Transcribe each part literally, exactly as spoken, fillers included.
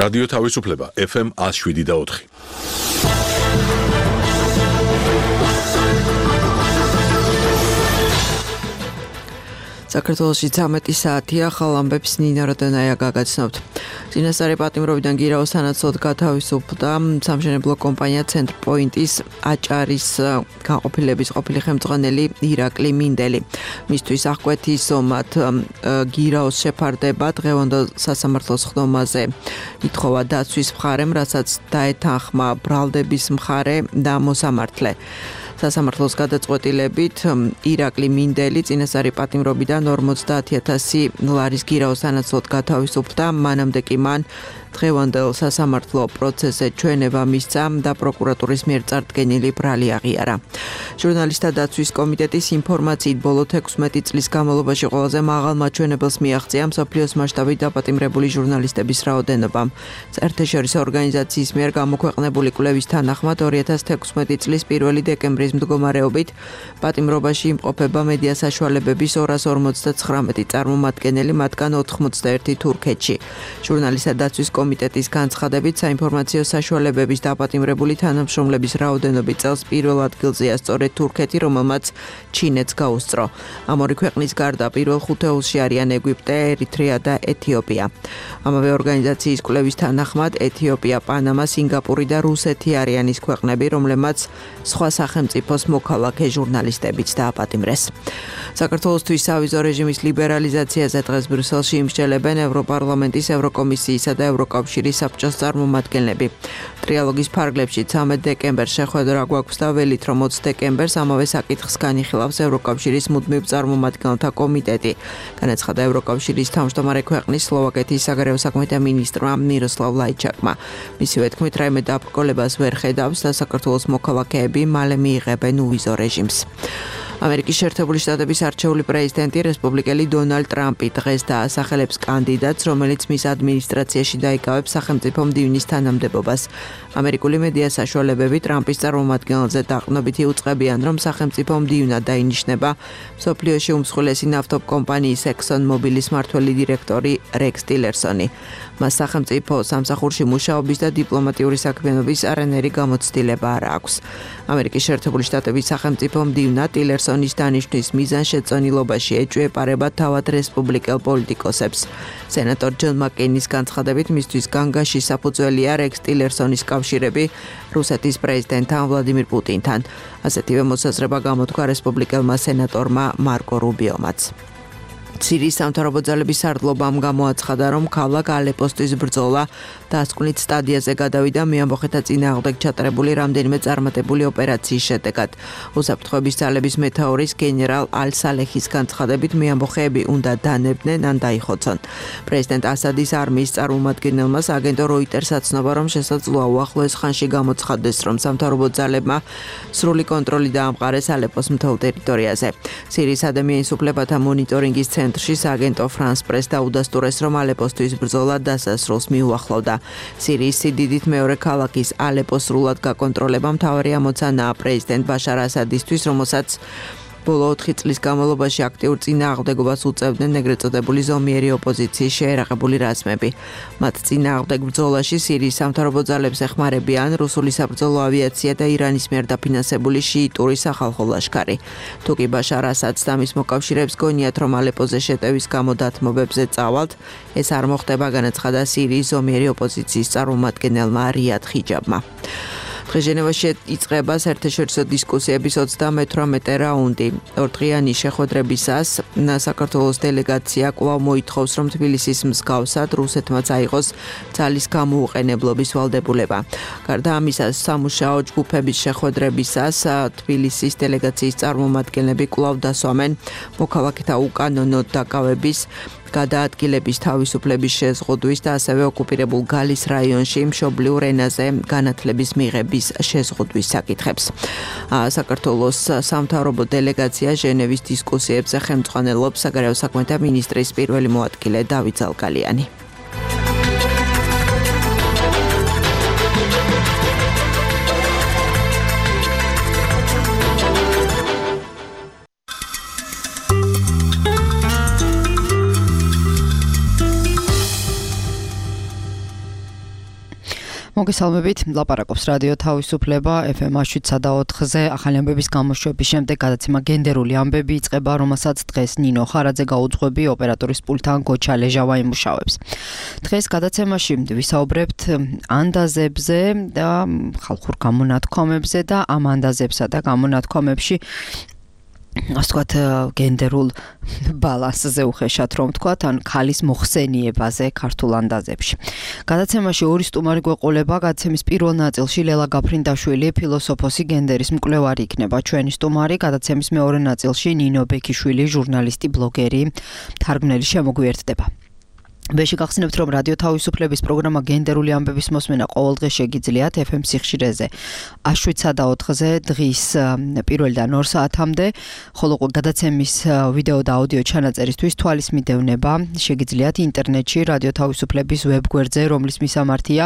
რადიო თავისუფლება ეფ ემ one oh seven და four. საქართველოში ცამეტი საათია, ხალ ამბებს ნინა როდენაია გაგაცნობთ. წინასწარი პატიმრობიდან გირაოს სანაცვლოდ გათავისუფლდა სამშენებლო კომპანია ცენტრპოინტის აჭარის განყოფილების ყოფილი ხელმძღვანელი ირაკლი მინდელი. მისთვის აღკვეთის ომად გირაოს შეფარდება დღევანდელ სასამართლოს ხდომაზე ითხოვა დაცვის მხარემ, რასაც დაეთანხმა ბრალდების მხარე და მოსამართლე. სასამართლოს გადაწყვეტილებით ირაკლი მინდელი წინასწარი პატიმრობიდან ორმოცდაათი ათასი ლარის გირაოს სანაცვლოდ გათავისუფლდა, მანამდე კი მან დღევანდელ სასამართლო პროცესზე ჩვენება მისცა და პროკურატურის მიერ წარდგენილი ბრალი აღიარა. ჟურნალისტთა დაცვის კომიტეტის ინფორმაციით ბოლო თექვსმეტი წლის განმავლობაში ყველაზე მაღალ მაჩვენებელს მიაღწია მსოფლიოს მასშტაბით დაპატიმრებული ჟურნალისტების რაოდენობა. საერთაშორისო ორგანიზაციის მიერ გამოქვეყნებული კვლევის თანახმად ორი ათას თექვსმეტი წლის პირველი დეკემბრის მდგომარეობით პატიმრობაში იმყოფება მედია საშუალებების ორას ორმოცდაცხრამეტი წარმომადგენელი, მათგან ოთხმოცდაერთი თურქეთში. ჟურნალისტთა დაცვის კომიტეტის განცხადებით საინფორმაციო საშუალებების დაპატიმრებული თანამშრომლების რაოდენობით წელს პირველ ადგილზეა სწორედ თურქეთი, რომელმაც ჩინეთს გაუსწრო. ამ ორი ქვეყნის გარდა პირველ ხუთეულში არიან ეგვიპტე, ერიტრეა და ეთიოპია. ამავე ორგანიზაციის კვლევის თანახმად ეთიოპია, პანამა, სინგაპური და რუსეთი არიან ის ქვეყნები, რომლებმაც სხვა სახელმწიფოს მოქალაქე ჟურნალისტებიც დააპატიმრეს. საქართველოსთვის სავიზო რეჟიმის ლიბერალიზაციაზე დღეს ბრიუსელში იმსჯელებენ ევროპარლამენტის, ევროკომისიისა და ევროკავშირის საბჭოს წარმომადგენლები. ტრიალოგის ფარგლებში ცამეტ დეკემბერს შეხვედრა გვაქვს და ველით, რომ ოცი დეკემბერს ამავე საკითხს განიხილავს ევროკავშირის მუდმივ წარმომადგენელთა კომიტეტი. განაცხადა ევროკავშირის თავმჯდომარე ქვეყნის სლოვაკეთის საგარეო საქმეთა მინისტრმა მიროსლავ ლაიჩაკმა. მისივე თქმით, რაიმე დაბრკოლებას ვერ ხედავს და საქართველოს მოქალაქეები მალე მიიღებენ უვიზო რეჟიმს. ამერიკის შეერთებული შტატების არჩეული პრეზიდენტი რესპუბლიკელი დონალდ ტრამპი დღეს დაასახელებს კანდიდატს, რომელიც მის ადმინისტრაციაში დაიკავებს სახელმწიფო მდივნის თანამდებობას. ამერიკული მედია საშუალებები ტრამპის წარმომადგენელზე დაყრდნობით იუწყებიან, რომ სახელმწიფო მდივნად დაინიშნება მსოფლიოში უმსხვილესი ნავთობ კომპანიის ექსონ მობილის მმართველი დირექტორი რექს ტილერსონი. მას სახელმწიფო სამსახურში მუშაობის და დიპლომატიური საქმიანობის არანაირი გამოცდილება არ აქვს. ამერიკის შეერთებული შტატების სახელმწიფო მდივნად ტილერსონის დანიშვნის მიზანშეწონილობაში ეჭვეპარება თავად რესპუბლიკელ პოლიტიკოსებს. სენატორ ჯონ მაკეინის განცხადებით, მისთვის განგაში საფუძველია რექს ტილერსონის კავშირები რუსეთის პრეზიდენტთან ვლადიმირ პუტინთან. ასეთივე მოსაზრება გამოთქვა რესპუბლიკელმა სენატორმა მარკო რუბიომაც. სირიის სამთავრობო ძალების სარდლობამ გამოაცხადა, რომ ქალაქ ალეპოსთვის ბრძოლა დასკვნით სტადიაზე გადავიდა მეამბოხეთა წინააღმდეგ ჩატარებული რამდენიმე წარმატებული ოპერაციის შედეგად. უსაფრთხოების ძალების მეთაურის გენერალ ალ-სალეხის განცხადებით, მეამბოხეები უნდა დანებდნენ ან დაიხოცონ. პრეზიდენტ ასადის არმიის წარმომადგენელმა აგენტო როიტერს აცნობა, რომ შესაძლოა უახლოეს ხანში გამოცხადდეს, რომ სამთავრობო ძალებმა სრული კონტროლი დაამყარეს ალეპოს მთელ ტერიტორიაზე. სირიის ადამიანის უფლებათა მონიტორინგის ცენტრში აგენტო ფრანს პრეს დაუდასტურეს, რომ ალეპოსთვის ბრძოლა დასასრულს მიუახლოვდა. სირიის სიდიდით მეორე ქალაქის ალეპოს სრულად გაკონტროლება მთავარი ამოცანაა პრეზიდენტ ბაშარ ასადისთვის, რომელსაც ბოლო ოთხი წლის განმავლობაში აქტიურ წინააღმდეგობას უწევდნენ ეგრეთ წოდებული ზომიერი ოპოზიციის შეერაღებული რაზმები. მათ წინააღმდეგ ბრძოლაში სირიის სამთავრობო ძალებს ეხმარებიან რუსული საბრძოლო ავიაცია და ირანის მიერ დაფინანსებული შიიტური სახალხო ლაშქარი. თუკი ბაშარ ასადს და მის მოკავშირეებს გონიათ, რომ ალეპოზე შეტევის გამო დათმობებზე წავალთ, ეს არ მოხდება, განაცხადა სირიის ზომიერი ოპოზიციის წარმომადგენელმა რიად ხიჯაბმა. დღეს ჟენევაში იწყება საერთაშორისო დისკუსიების ოცდამეთვრამეტე რაუნდი. ორდღიანი შეხვედრებისას საქართველოს დელეგაცია კვლავ მოითხოვს, რომ თბილისის მსგავსად რუსეთმა წაიღოს ძალის გამოუყენებლობის ვალდებულება. გარდა ამისა, სამუშაო ჯგუფების შეხვედრებისას თბილისის დელეგაციის წარმომადგენლები კვლავ დასვამენ მოქალაქეთა უკანონო დაკავების გადაადგილების თავისუფლების შეზღუდვის და ასევე ოკუპირებულ გალის რაიონში მშობლიურ ენაზე განათლების მიღების შეზღუდვის საკითხებს. საქართველოს სამთავრობო დელეგაცია ჟენევის დისკუსიებზე ხელმძღვანელობს საგარეო საქმეთა მინისტრის პირველი მოადგილე დავით ზალკალიანი. მოგესალმებით, ლაპარაკობს რადიო თავისუფლება ეფ ემ შვიდსა და ოთხზე ახალი ამბების გამოშვების შემდეგ გადაცემა გენდერული ამბები იწყება, რომელსაც დღეს ნინო ხარაძე გაუძღვები ოპერატორის პულტთან გოჩა ლეჟავა იმუშავებს. დღეს გადაცემაში ვისაუბრებთ ანდაზებზე და ხალხურ გამონათქვამებზე და ამ ანდაზებსა და გამონათქვამებში ასე ვთქვათ, გენდერულ ბალანსზე უხეშად რომ ვთქვათ, ან ქალის მოხსენიებაზე ქართულ ანდაზებში. გადაცემაში ორი სტუმარი გვეყოლება, გადაცემის პირველ ნაწილში ლელა გაფრინდაშვილი, ფილოსოფოსი, გენდერის მკვლევარი იქნება ჩვენი სტუმარი, გადაცემის მეორე ნაწილში ნინო ბექიშვილი, ჟურნალისტი, ბლოგერი, თარგმნელი შემოგვიერთდება. ვეში გახსნებთ, რომ რადიო თავისუფლების პროგრამა გენდერული ამბების მოსმენა ყოველდღე შეგიძლიათ ეფ ემ სიხშირეზე შვიდსა და ოთხზე დღის პირველიდან ორ საათამდე, ხოლო გადაცემის ვიდეო და აუდიო ჩანაწერისთვის თვალის მიდევნება შეგიძლიათ ინტერნეტში რადიო თავისუფლების ვებგვერდზე, რომლის მისამართია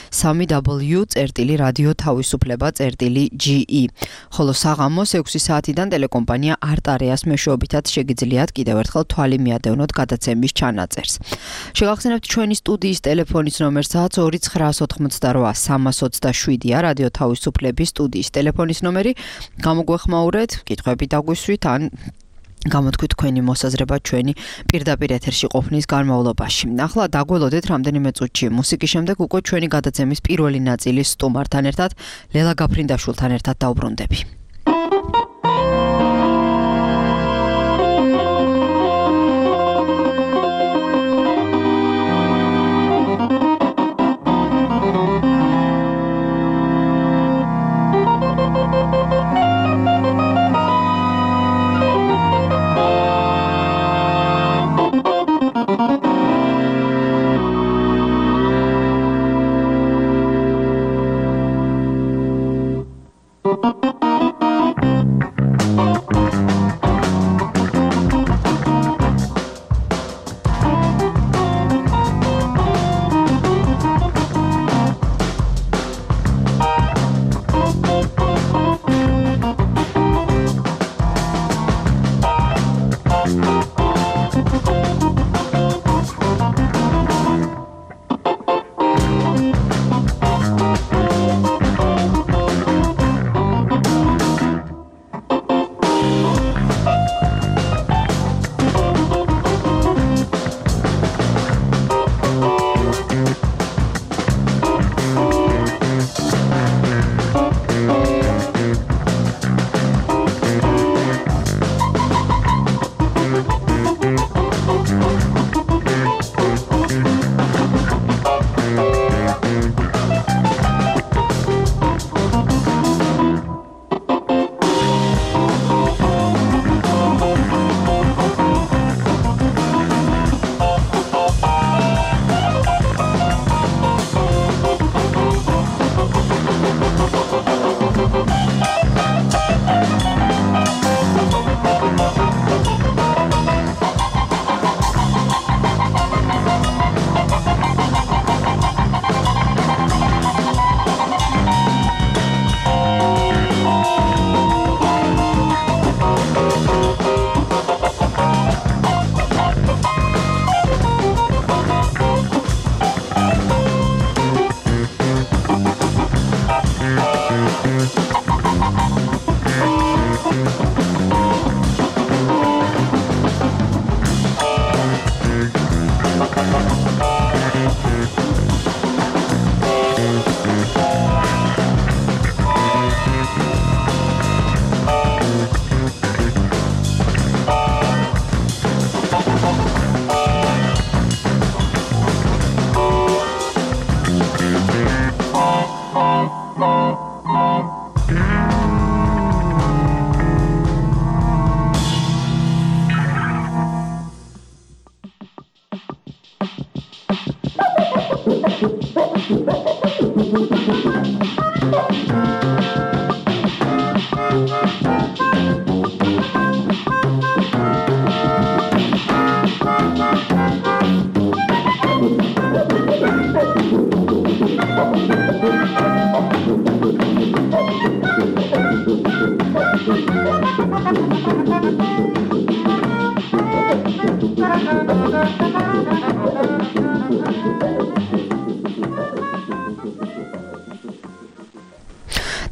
სამი დაბლიუ წერტილი რადიო თავისუფლება წერტილი ჯი ი. ხოლო საღამოს ექვსი საათიდან ტელეკომპანია არტარეას მეშვეობითაც შეგიძლიათ კიდევ ერთხელ თვალი მიადევნოთ გადაცემის ჩანაწერს. შეგახსენებთ ჩვენი სტუდიის ტელეფონის ნომერსაც ორი ცხრაას ოთხმოცდარვა სამას ოცდაშვიდია რადიო თავისუფლების სტუდიის ტელეფონის ნომერი. გამოგვეხმაურეთ, კითხვები დაგვისვით ან გამოთქვით თქვენი მოსაზრება ჩვენი პირდაპირ ეთერში ყოფნის განმავლობაში. ახლა დაგველოდეთ რამდენიმე წუთში მუსიკის შემდეგ უკვე ჩვენი გადაცემის პირველი ნაწილის სტუმართან ერთად ლელა გაფრინდაშვილთან ერთად დავბრუნდები.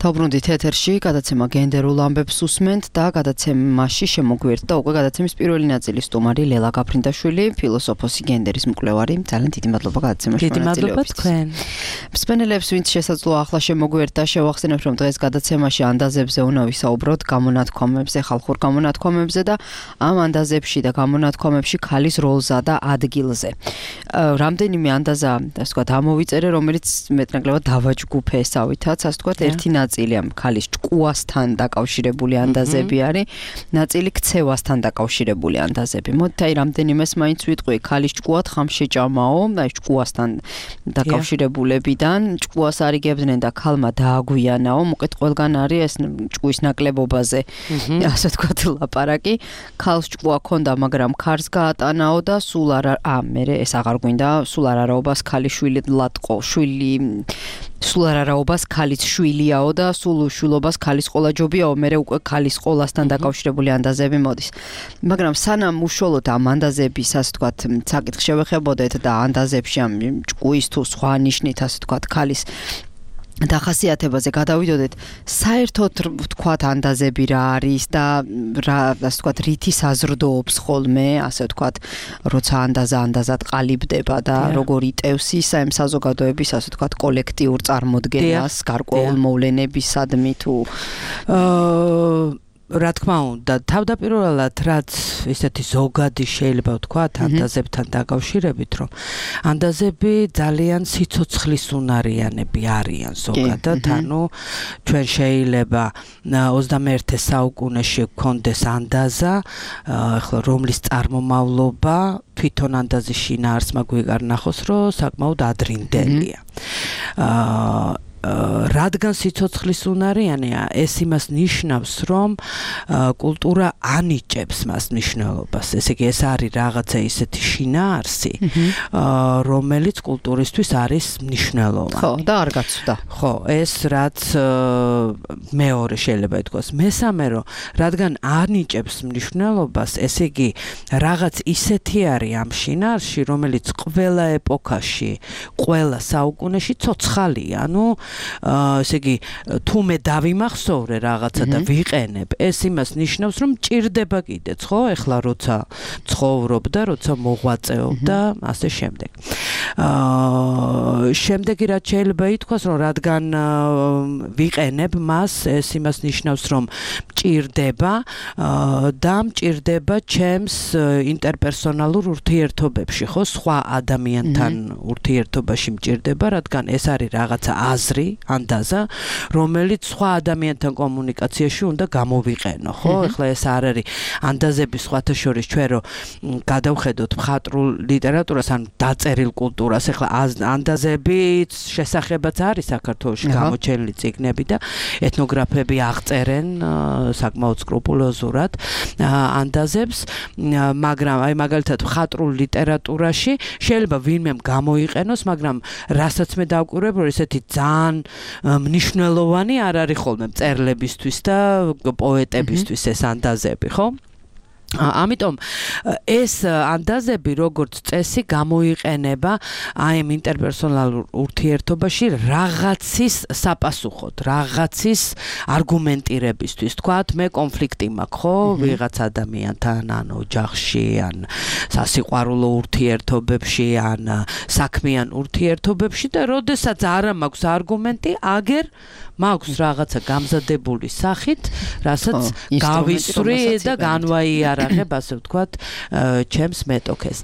დავბრუნდით ეთერში, გადაცემა გენდერულ ამბებს უსმენთ და გადაცემაში შემოგვიერთდა უკვე გადაცემის პირველი ნაწილის სტუმარი ლელა გაფრინდაშვილი, ფილოსოფოსი, გენდერის მკვლევარი. ძალიან დიდი მადლობა გადაცემაში მონაწილეობისთვის. თქვენ. მსმენელებს, ვინც შესაძლოა ახლა შემოგვიერთდა, შევახსენებთ, რომ დღეს გადაცემაში ანდაზებზე უნდა ვისაუბროთ, გამონათქვამებზე, ხალხურ გამონათქვამებზე და ამ ანდაზებში და გამონათქვამებში ქალის როლზა და ადგილზე. რამდენიმე ანდაზა, ასე ვთქვათ, ამოვიწერე, რომელიც მეტნაკლებად დავაჯგუფესავითაც, ასე ვთქვათ, ერთი ნაწილი ამ ქალის ჭკუასთან დაკავშირებული ანდაზები არის, ნაწილი ქცევასთან დაკავშირებული ანდაზები. მოდით აი რამდენიმეს მაინც ვიტყვი, ქალის ჭკუა თხამშეჭამაო, აი ჭკუასთან დაკავშირებულებიდან ჭკუას არიგებდნენ და ქალმა დააგვიანაო, მოკლედ ყველგან არის ეს ჭკუის ნაკლებობაზე, ასე ვთქვათ, ლაპარაკი. ქალს ჭკუა ჰქონდა, მაგრამ ქარს გაატანაო და სულ არა, ა მერე ეს აღარ გვინდა, სულ არაობას ქალიშვილი ლატყო, შვილი სულ არაობას ქალის შვილიაო და სულ უშვილობას ქალის ყოლა ჯობიაო, მერე უკვე ქალის ყოლასთან დაკავშირებული ანდაზები მოდის. მაგრამ სანამ უშუალოდ ამ ანდაზების, ასე ვთქვათ, საკითხს შევეხებოდეთ და ანდაზებში ამ ჭკუის თუ სხვა ნიშნით, ასე ვთქვათ, ქალის დახასიათებაზე გადავიდოდეთ, საერთოდ ვთქვათ ანდაზები რა არის და რა, ასე ვთქვათ, რითი საზრდოობს ხოლმე, ასე ვთქვათ, როცა ანდაზა ანდაზად ყალიბდება და როგორ იტევს ის ამ საზოგადოების, ასე ვთქვათ, კოლექტიურ წარმოდგენას, გარკვეულ მოვლენებისადმი თუ აა რა თქმა უნდა, თავდაპირველად რაც ისეთი ზოგადი შეიძლება ვთქვათ ანდაზებთან დაკავშირებით, რომ ანდაზები ძალიან სიცოცხლის უნარიანები არიან ზოგადად, ანუ ჩვენ შეიძლება ოცდამეერთე საუკუნეში გქონდეს ანდაზა, ახლა რომლის წარმომავლობა თვითონ ანდაზის შინაარსმა გვიგარ ნახოს, რომ საკმაოდ ადრინდელია. აა რადგან სიცოცხლის უნარიანია, ეს იმას ნიშნავს, რომ კულტურა ანიჭებს მას მნიშვნელობას. ესე იგი, ეს არის რაღაცა ისეთი შინაარსი, რომელიც კულტურისთვის არის მნიშვნელოვანი. ხო, და არ გაცვდა. ხო, ეს რაც მეორე შეიძლება ითქვას. მესამე, რომ რადგან ანიჭებს მნიშვნელობას, ესე იგი, რაღაც ისეთი არის ამ შინაარსში, რომელიც ყველა ეპოქაში, ყველა საუკუნეში ცოცხალია, ანუ ესე იგი, თუ მე დავიმახსოვრე რაღაცა და ვიყენებ, ეს იმას ნიშნავს, რომ მჭირდება კიდეც, ხო? ეხლა როცა ცხოვრობ და როცა მოღვაწეობ და ასე შემდეგ. აა შემდეგი რაც შეიძლება ითქვას, რომ რადგან ვიყენებ მას, ეს იმას ნიშნავს, რომ მჭირდება და მჭირდება ჩემს ინტერპერსონალურ ურთიერთობებში, ხო? სხვა ადამიანთან ურთიერთობაში მჭირდება, რადგან ეს არის რაღაცა აზრი, ანდაზა, რომელიც სხვა ადამიანთან კომუნიკაციაში უნდა გამოვიყენო, ხო? ეხლა ეს არ არის ანდაზების სხვათა შორის ჩვენ რომ გადავხედოთ მხატვრულ ლიტერატურას, ან დაწერილ კულტურას, ეხლა ანდაზების შესახებაც არის საქართველოში გამოჩენილი წიგნები და ეთნოგრაფები აღწერენ საკმაოდ სკრუპულოზურად ანდაზებს, მაგრამ აი მაგალითად მხატვრულ ლიტერატურაში შეიძლება ვინმემ გამოიყენოს, მაგრამ რასაც მე დავკვირვებ, რომ ესეთი ძალიან მნიშვნელოვანი არ არის ხოლმე მწერლებისთვის და პოეტებისთვის ეს ანდაზები, ხო? ამიტომ ეს ანდაზები როგორც წესი გამოიყენება აი ამ ინტერპერსონალურ ურთიერთობაში რაღაცის საპასუხოდ, რაღაცის არგუმენტირებისთვის. თქვათ, მე კონფლიქტი მაქვს, ხო, ვიღაც ადამიანთან, ან ოჯახში, ან სასიყვარულო ურთიერთობებში, ან საქმიან ურთიერთობებში და როდესაც არა მაქვს არგუმენტი, აგერ მაქვს რაღაცა გამზადებული სახით, რასაც გავისვრი და განვაიარაღებ, ასე ვთქვათ, ჩემს მეტოქეს.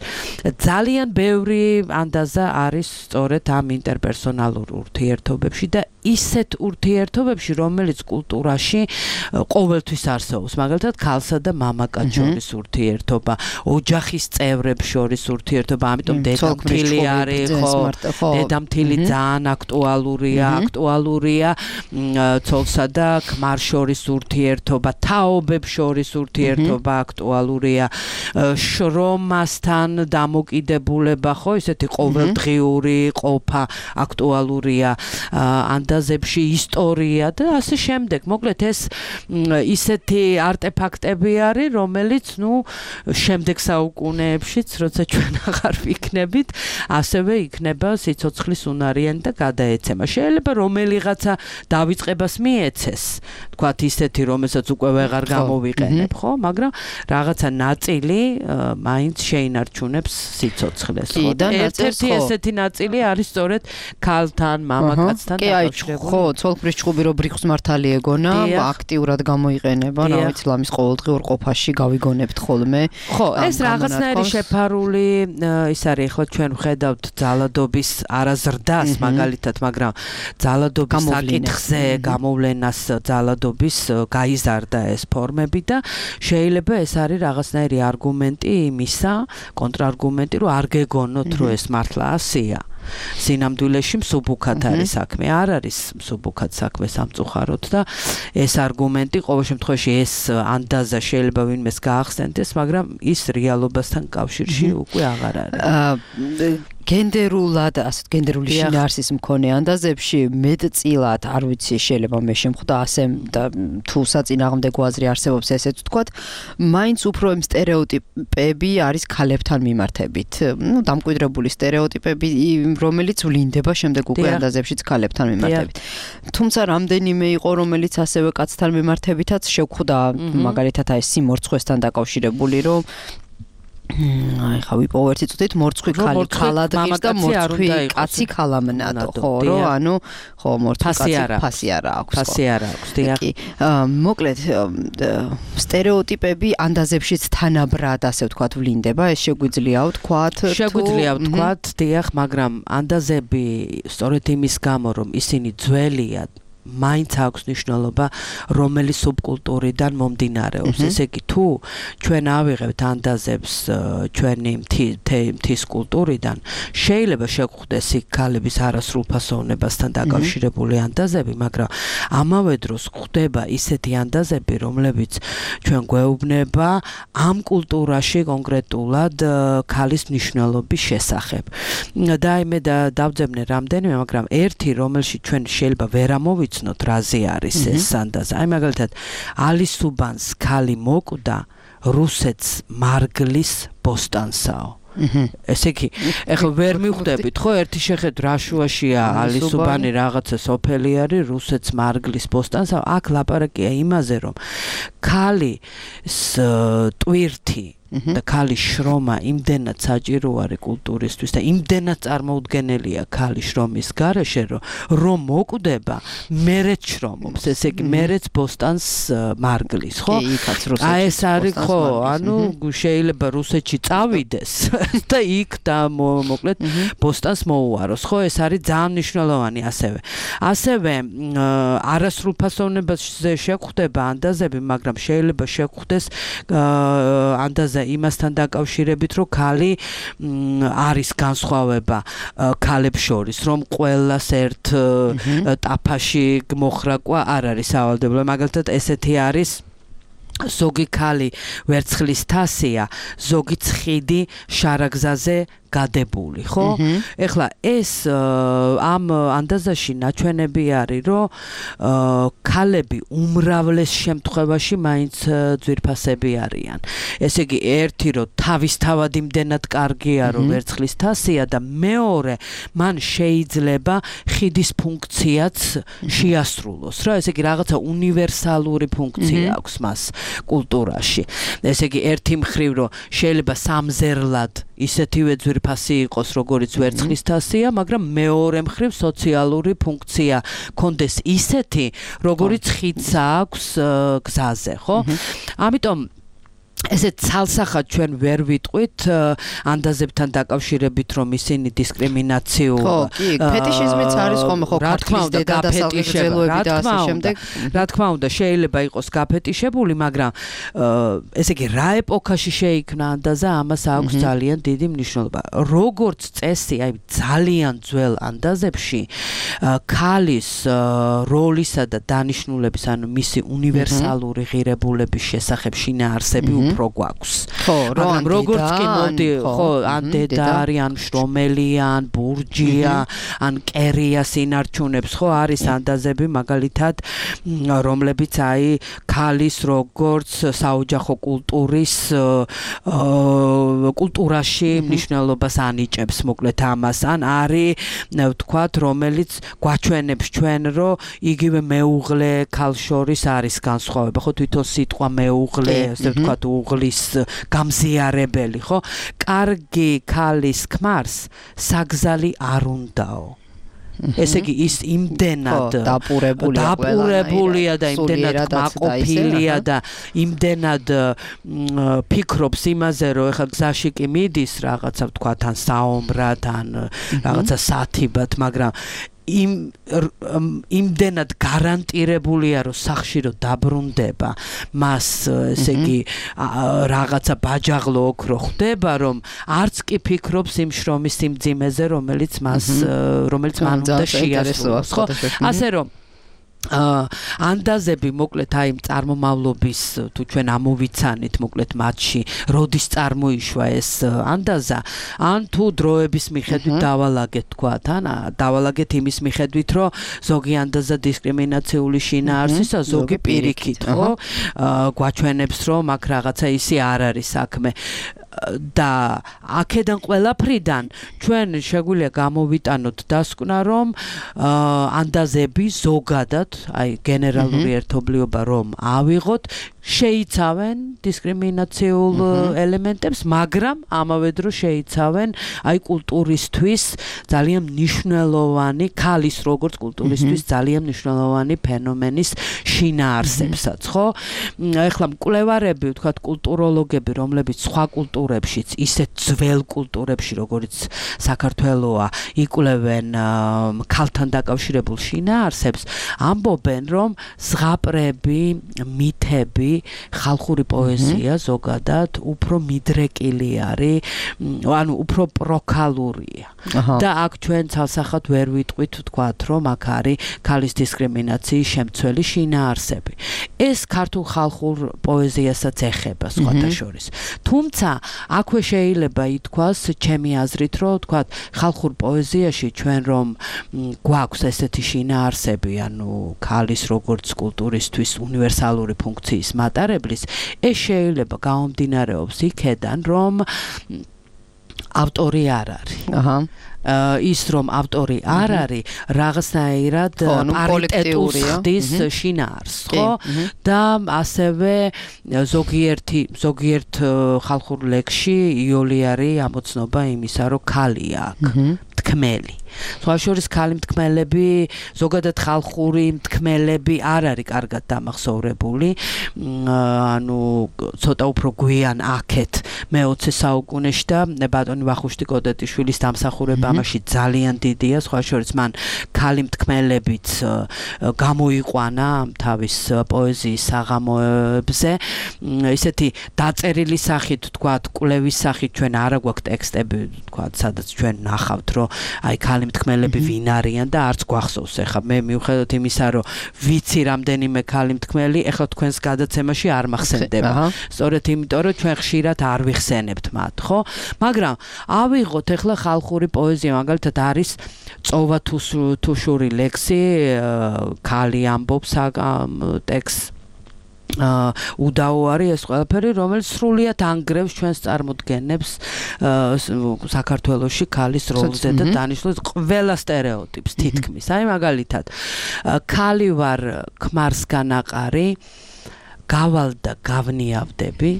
ძალიან ბევრი ანდაზა არის სწორედ ამ ინტერპერსონალურ ურთიერთობებში და ისეთ ურთიერთობებში, რომელიც კულტურაში ყოველთვის არსებობს. მაგალითად, ქალსა და მამაკაც შორის ურთიერთობა, ოჯახის წევრებს შორის ურთიერთობა, ამიტომ დედამთილი არის, ხო, დედამთილი ძალიან აქტუალურია, აქტუალურია ცოლსა და ქმარ შორის ურთიერთობა, თაობებს შორის ურთიერთობა აქტუალურია, შრომასთან დამოკიდებულება, ხო, ისეთი ყოველდღიური ყოფა აქტუალურია. ანდაზ ანდაზებში ისტორია და ასე შემდეგ. მოკლედ ეს ისეთი არტეფაქტები არის, რომელიც ნუ შემდეგ საუკუნეებშიც, როცა ჩვენ აღარ ვიქნებით, ასევე იქნება სიცოცხლის უნარიანი და გადაეცემა. შეიძლება რომელიღაცა დავიწყებას მიეცეს, თქვათ ისეთი, რომელსაც უკვე ვეღარ გამოვიყენებ, ხო? მაგრამ რაღაცა ნაწილი მაინც შეინარჩუნებს სიცოცხლეს, ხო? და ერთ-ერთი ესეთი ნაწილი არის სწორედ ქალთან, მამაკაცთან დაკავშირებული. ხო, ცოლქმრის ჭუბი რო ბრიხს მართალი ეგონა, აქტიურად გამოიყენება, რა ვიცი, ლამის ყოველდღიურ ყოფაში გავიგონებთ ხოლმე. ხო, ეს რაღაცნაირი შეფარული ის არის, ხო, ჩვენ ვხედავთ ძალადობის არაზრდას მაგალითად, მაგრამ ძალადობის საკითხზე გამოვლენას ძალადობის გაიზარდა ეს ფორმები და შეიძლება ეს არის რაღაცნაირი არგუმენტი იმისა, კონტრარგუმენტი, რომ არ გეგონოთ, რომ ეს მართლა ასია. სინამდვილეში მსუბუქად არის საქმე, არ არის მსუბუქად საქმე სამწუხაროდ და ეს არგუმენტი ყოველ შემთხვევაში ეს ანდაზა შეიძლება ვინმეს გაახსენდეს, მაგრამ ის რეალობასთან კავშირში უკვე აღარ არის. გენდერულად, ასეთ გენდერული შინაარსის მქონე ანდაზებში მეტწილად, არ ვიცი, შეიძლება მე შემხვდა ასე და თუ საწინააღმდეგო აზრი არსებობს ესეც ვთქვათ, მაინც უფრო იმ სტერეოტიპები არის ქალებთან მიმართებით. ნუ დამკვიდრებული სტერეოტიპები, რომელიც ვლინდება შემდეგ უკვე ანდაზებშიც ქალებთან მიმართებით. თუმცა რამდენიმე იყო, რომელიც ასევე კაცთან მიმართებითაც შევხვდა, მაგალითად აი სიმორცხვესთან დაკავშირებული, რომ აი ხა ვიპოვო ერთი წუთით მორცხვი ქალი ქალად ღირს და მორცხვი კაცი ქალამნადო, ხო, რომ ანუ ხო მორცხვი კაცი ფასი არა აქვს. ფასი არა აქვს, დიახ. მოკლედ სტერეოტიპები ანდაზებშიც თანაბრად, ასე ვთქვათ, ვლინდება, ეს შეგვიძლია ვთქვათ, თუ შეგვიძლია ვთქვათ, დიახ, მაგრამ ანდაზები სწორედ იმის გამო, რომ ისინი ძველია, მაინც აქვს მნიშვნელობა, რომელი სუბკულტურიდან მომდინარეობს. ესე იგი, თუ ჩვენ ავიღებთ ანდაზებს ჩვენი მთის კულტურიდან, შეიძლება შეგვხვდეს იქ ქალების არასრულფასოვნებასთან დაკავშირებული ანდაზები, მაგრამ ამავე დროს გვხვდება ისეთი ანდაზები, რომლებიც ჩვენ გვეუბნება ამ კულტურაში კონკრეტულად ქალის მნიშვნელობის შესახებ. და მე დავძებნე რამდენიმე, მაგრამ ერთი, რომელშიც ჩვენ შეიძლება ვერ ამოვიცნოთ რაზე არის ეს ანდაზა. აი მაგალითად, ალისუბანს ქალი მოკვდა რუსეთს მარგლის ბოსტანსაო. ესე იგი, ეხლა ვერ მივხვდებით, ხო, ერთი შეხედვით რა შუაშია ალისუბანი რაღაცა სოფელი არის, რუსეთს მარგლის ბოსტანსაო. აქ ლაპარაკია იმაზე, რომ ქალის ტვირთი და ქალის შრომა იმდენად საჭირო არის კულტურისთვის და იმდენად წარმოუდგენელია ქალის შრომის გარეშე, რომ მოკვდება, მერეც შრომობს, ესე იგი, მერეც ბოსტანს მარგლის, ხო? აი ეს არის, ხო, ანუ შეიძლება რუსეთში წავიდეს და იქ და მოკლედ ბოსტანს მოუაროს, ხო? ეს არის ძალიან მნიშვნელოვანი ასევე. ასევე არასრულფასოვნებაზე შეგვხვდება ანდაზები, მაგრამ შეიძლება შეგვხვდეს ანდაზა იმასთან დაკავშირებით, რომ ქალი არის განსხვავება ქალებს შორის, რომ ყველას ერთ ტაფაში მოხრაკვა არ არის სავალდებულო. მაგალითად, ესეთი არის ზოგი ქალი ვერცხლის თასია, ზოგი ცხიდი შარაგზაზე გადებული, ხო? ეხლა ეს ამ ანდაზაში ნაჩვენები არის, რომ ქალები უმრავლეს შემთხვევაში მაინც ძვირფასები არიან. ესე იგი, ერთი რომ თავისთავად იმდენად კარგია, რომ ვერცხლის თასია და მეორე, მან შეიძლება ხიდის ფუნქციაც შეასრულოს, რა, ესე იგი, რაღაცა უნივერსალური ფუნქცია აქვს მას კულტურაში. ესე იგი, ერთი მხრივ რომ შეიძლება სამზერლად ისეთივე ძვირფასი იყოს, როგორც ვერცხლის თასია, მაგრამ მეორე მხრივ სოციალური ფუნქცია კონდეს ისეთი, როგორც ხიდს აქვს გზაზე, ხო? ამიტომ ესე ცალსახად ჩვენ ვერ ვიტყვით ანდაზებთან დაკავშირებით, რომ ისინი დისკრიმინაციულ ხო, კი, ფეტიშიზმიც არის ხოლმე, ხო, ქართლის დედა და სალღებელოები და ასე შემდეგ. რა თქმა უნდა, შეიძლება იყოს გაფეტიშებული, მაგრამ ესე იგი, რა ეპოქაში შეიქმნა ანდაზა, ამას აქვს ძალიან დიდი მნიშვნელობა. როგორც წესი, აი ძალიან ძველ ანდაზებში ქალის როლისა და დანიშნულების, ანუ მისი უნივერსალური ღირებულების შესახებ შინაარსები უფრო გვაქვს. ხო, მაგრამ როგორც კი მოდი, ხო, ან დედა არის, ან შრომელია, ან ბურჯია, ან კერია სინარჩუნებს, ხო, არის ანდაზები მაგალითად, რომლებიც აი ქალის როგორც საოჯახო კულტურის კულტურაში მნიშვნელობას ანიჭებს, მოკლედ ამას, ან არის ვთქვათ, რომელიც გვაჩვენებს ჩვენ, რომ იგივე მეუღლე ქალს შორის არის განსხვავება, ხო, თვითონ სიტყვა მეუღლე, ასე ვთქვათ, უღლის გამზიარებელი, ხო? კარგი ქალის ქმარს საგზალი არ უნდაო. ესე იგი ის იმდენად დაპურებულია დაპურებულია და იმდენად მაყოფილია და იმდენად ფიქრობს იმაზე, რომ ეხლა გზაში კი მიდის რაღაცა ვთქვათ, ან საომრად, ან რაღაცა სათიბად, მაგრამ იმ იმდენად გარანტირებულია, რომ სახში რომ დაბრუნდება, მას ესე იგი რაღაცა ბაჯაღლო ოქრო ხდება, რომ არც კი ფიქრობს იმ შრომის სიმძიმეზე, რომელიც მას რომელიც მან უნდა შეასრულოს, ხო? ასე რომ ანდაზები მოკლედ აი წარმომავლობის თუ ჩვენ ამოვიცანით მოკლედ მათში როდის წარმოიშვა ეს ანდაზა, ან თუ დროების მიხედვით დავალაგეთ თქვათ, ან დავალაგეთ იმის მიხედვით, რომ ზოგი ანდაზა დისკრიმინაციული შინაარსისა, ზოგი პირიქით, ხო? გვაჩვენებს, რომ აქ რაღაცა ისი არ არის საქმე. და აქედან ყველაფრიდან ჩვენ შეგვიძლია გამოვიტანოთ დასკვნა, რომ ანდაზები ზოგადად, აი გენერალური ერთობლიობა რომ ავიღოთ, შეიცავენ დისკრიმინაციულ ელემენტებს, მაგრამ ამავე დროს შეიცავენ აი კულტურისთვის ძალიან მნიშვნელოვანი, ქალის როგორც კულტურისთვის ძალიან მნიშვნელოვანი ფენომენის შინაარსებსაც, ხო? ეხლა მკვლევარები, ვთქვათ, კულტუროლოგები, რომლებიც სხვა კულტურებშიც, ისეთ ძველ კულტურებში, როგორც საქართველოა, იკვლევენ ქალთან დაკავშირებულ შინაარსებს, ამბობენ, რომ ზღაპრები, მითები, ხალხური პოეზია ზოგადად უფრო მიდრეკილი არის, ანუ უფრო პროქალურია. და აქ ჩვენ ცალსახად ვერ ვიტყვით ვთქვათ, რომ აქ არის ქალის დისკრიმინაციის შემცველი შინაარსები. ეს ქართულ ხალხურ პოეზიასაც ეხება სხვათა შორის. თუმცა აქვე შეიძლება ითქვას, ჩემი აზრით, რომ ვთქვათ, ხალხურ პოეზიაში ჩვენ რომ გვაქვს ესეთი შინაარსები, ანუ ქალის როგორც კულტურისთვის უნივერსალური ფუნქციის მატარებლის, ეს შეიძლება გამომდინარეობს იქედან, რომ ავტორი არ არის. აჰა. ის რომ ავტორი არ არის, რაღაცნაირად პარიტეტულს ხდის შინაარსს, ხო? და ასევე ზოგიერთი ზოგიერთ ხალხურ ლექსში იოლი არის ამოცნობა იმისა, რომ ქალია აქ. თქმელი. სხვა შორის ქალი მთქმელები, ზოგადად ხალხური მთქმელები არ არის კარგად დამახსოვრებული, ანუ ცოტა უფრო გვიან აქეთ მეოცე საუკუნეში და ბატონი ვახუშტი კოდეტიშვილის დამსახურება ამაში ძალიან დიდია, სხვა შორის მან ქალი მთქმელებიც გამოიყვანა თავის პოეზიის საღამოებზე, ისეთი დაწერილი სახით, თქვათ, კვლევის სახით ჩვენ არა გვაქვს ტექსტები, თქვათ, სადაც ჩვენ ნახავთ, რომ აი ქალი მთქმელები ვინ არიან და არც გვახსოვს. ეხლა მე მიუხედავად იმისა, რომ ვიცი რამდენიმე ქალი მთქმელი, ეხლა თქვენს გადაცემაში არ მახსენდება. სწორედ იმიტომ, რომ ჩვენ ხშირად არ ვიხსენებთ მათ, ხო? მაგრამ ავიღოთ ეხლა ხალხური პოეზია, მაგალითად არის წოვა თუშური ლექსი, ქალი ამბობს ტექსტს. უდაო არის ეს ყველაფერი, რომელიც სრულიად ანგრევს ჩვენს წარმოდგენებს საქართველოში ქალის როლზე და დანიშნულებს ყველა სტერეოტიპს თითქმის. აი მაგალითად, ქალი ვარ ქმარსგან აყარი, გავალ და გავნიავდები,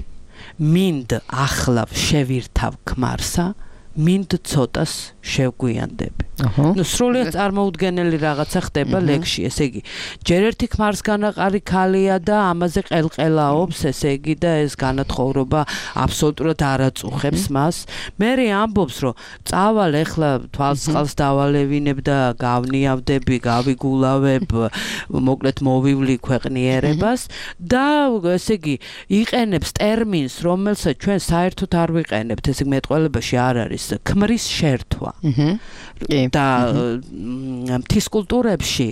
მინდ ახლავ შევირთავ ქმარსა, მინდ ცოტას შევგვიანდები. ნუ სრულიად წარმოუდგენელი რაღაცა ხდება ლექსში, ესე იგი, ჯერ ერთი ქმარსგან აყარი ქალია და ამაზე ყელყელაობს, ესე იგი, და ეს განათხოვრება აბსოლუტურად არ აწუხებს მას. მერე ამბობს, რომ წავალ ეხლა თვალსყალს დავალევინებ და გავნიავდები, გავიგულავებ, მოკლედ მოვივლი ქვეყნიერებას და ესე იგი, იყენებს ტერმინს, რომელსაც ჩვენ საერთოდ არ ვიყენებთ, ესე იგი, მეტყველებაში არ არის ქმრის შერთვა. კი. და მთის კულტურებში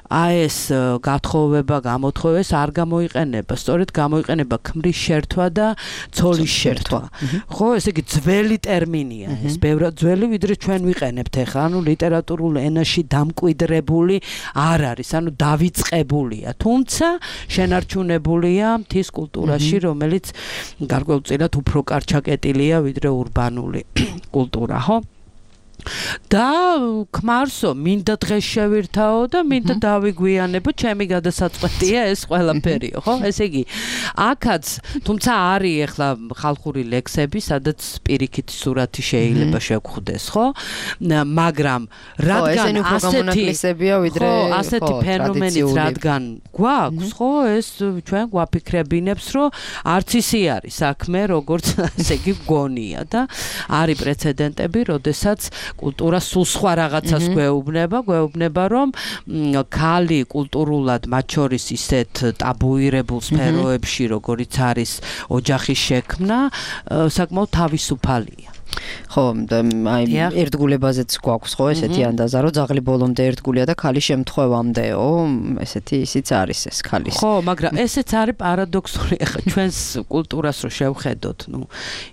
აი ეს გათხოვება, გამოთხოვება ეს არ გამოიყენება, სწორედ გამოიყენება ქმრის შერთვა და ცოლის შერთვა. ხო, ესე იგი ძველი ტერმინია ეს, ბევრად ძველი, ვიდრე ჩვენ ვიყენებთ ახლა, ანუ ლიტერატურულ ენაში დამკვიდრებული არ არის, ანუ დავიწყებულია, თუმცა შენარჩუნებულია მთის კულტურაში, რომელიც გარკვეულწილად უფრო კარჩაკეტილია ვიდრე ურბანული კულტურა, ხო? და ქმარსო, მინდა დღეს შევირთაო და მინდა დავიგვიანებო, ჩემი გადასაწყვეტია ეს ყველაფერიო, ხო? ესე იგი, აქაც, თუმცა არის ახლა ხალხური ლექსები, სადაც პირიქით სურათი შეიძლება შეგხვდეს, ხო? მაგრამ რადგან ასეთი ხო, ასეთი ფენომენიც რადგან გვაქვს, ხო, ეს ჩვენ გვაფიქრებინებს, რომ არც ისი არის საქმე, როგორც ესე იგი გონია და არის პრეცედენტები, როდესაც კულტურა სულ სხვა რაღაცას გვეუბნება, გვეუბნება რომ ქალი კულტურულად მათ შორის ისეთ ტაბუირებულ სფეროებში, როგორიც არის ოჯახის შექმნა, საკმაოდ თავისუფალია. ხო, აი ერთგულებაზეც გვაქვს ხო ესეთი ანდაზა, რომ ძაღლი ბოლომდე ერთგულია და ქალი შემთხვევამდეო, ესეთი ისიც არის ეს ქალის. ხო, მაგრამ ესეც არის პარადოქსული, ახლა ჩვენს კულტურას რო შევხედოთ, ნუ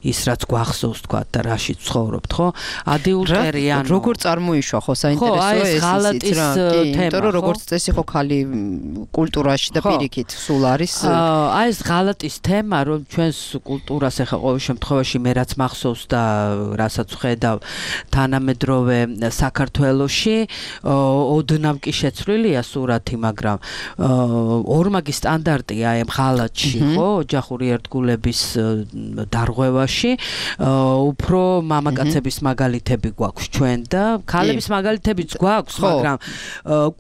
ის რაც გვახსოვს თქვა და რაში ცხოვრობთ, ხო? ადიულტერი ანუ როგორ წარმოიშვა ხო საინტერესოა ეს ისიც რა, იმიტომ რომ როგორც წესი ხო ქალი კულტურაში და პირიქით სულ არის. აი ეს ღალატის თემა, რომ ჩვენს კულტურას ახლა ყოველ შემთხვევაში მე რაც მახსოვს და რასაც ვხედავ თანამედროვე საქართველოში ოდნავ კი შეცვლილია სურათი, მაგრამ ორმაგი სტანდარტია აი ღალატში, ხო, ოჯახური ერთგულების დარღვევაში, უფრო მამაკაცების მაგალითები გვაქვს ჩვენ და ქალების მაგალითებიც გვაქვს, მაგრამ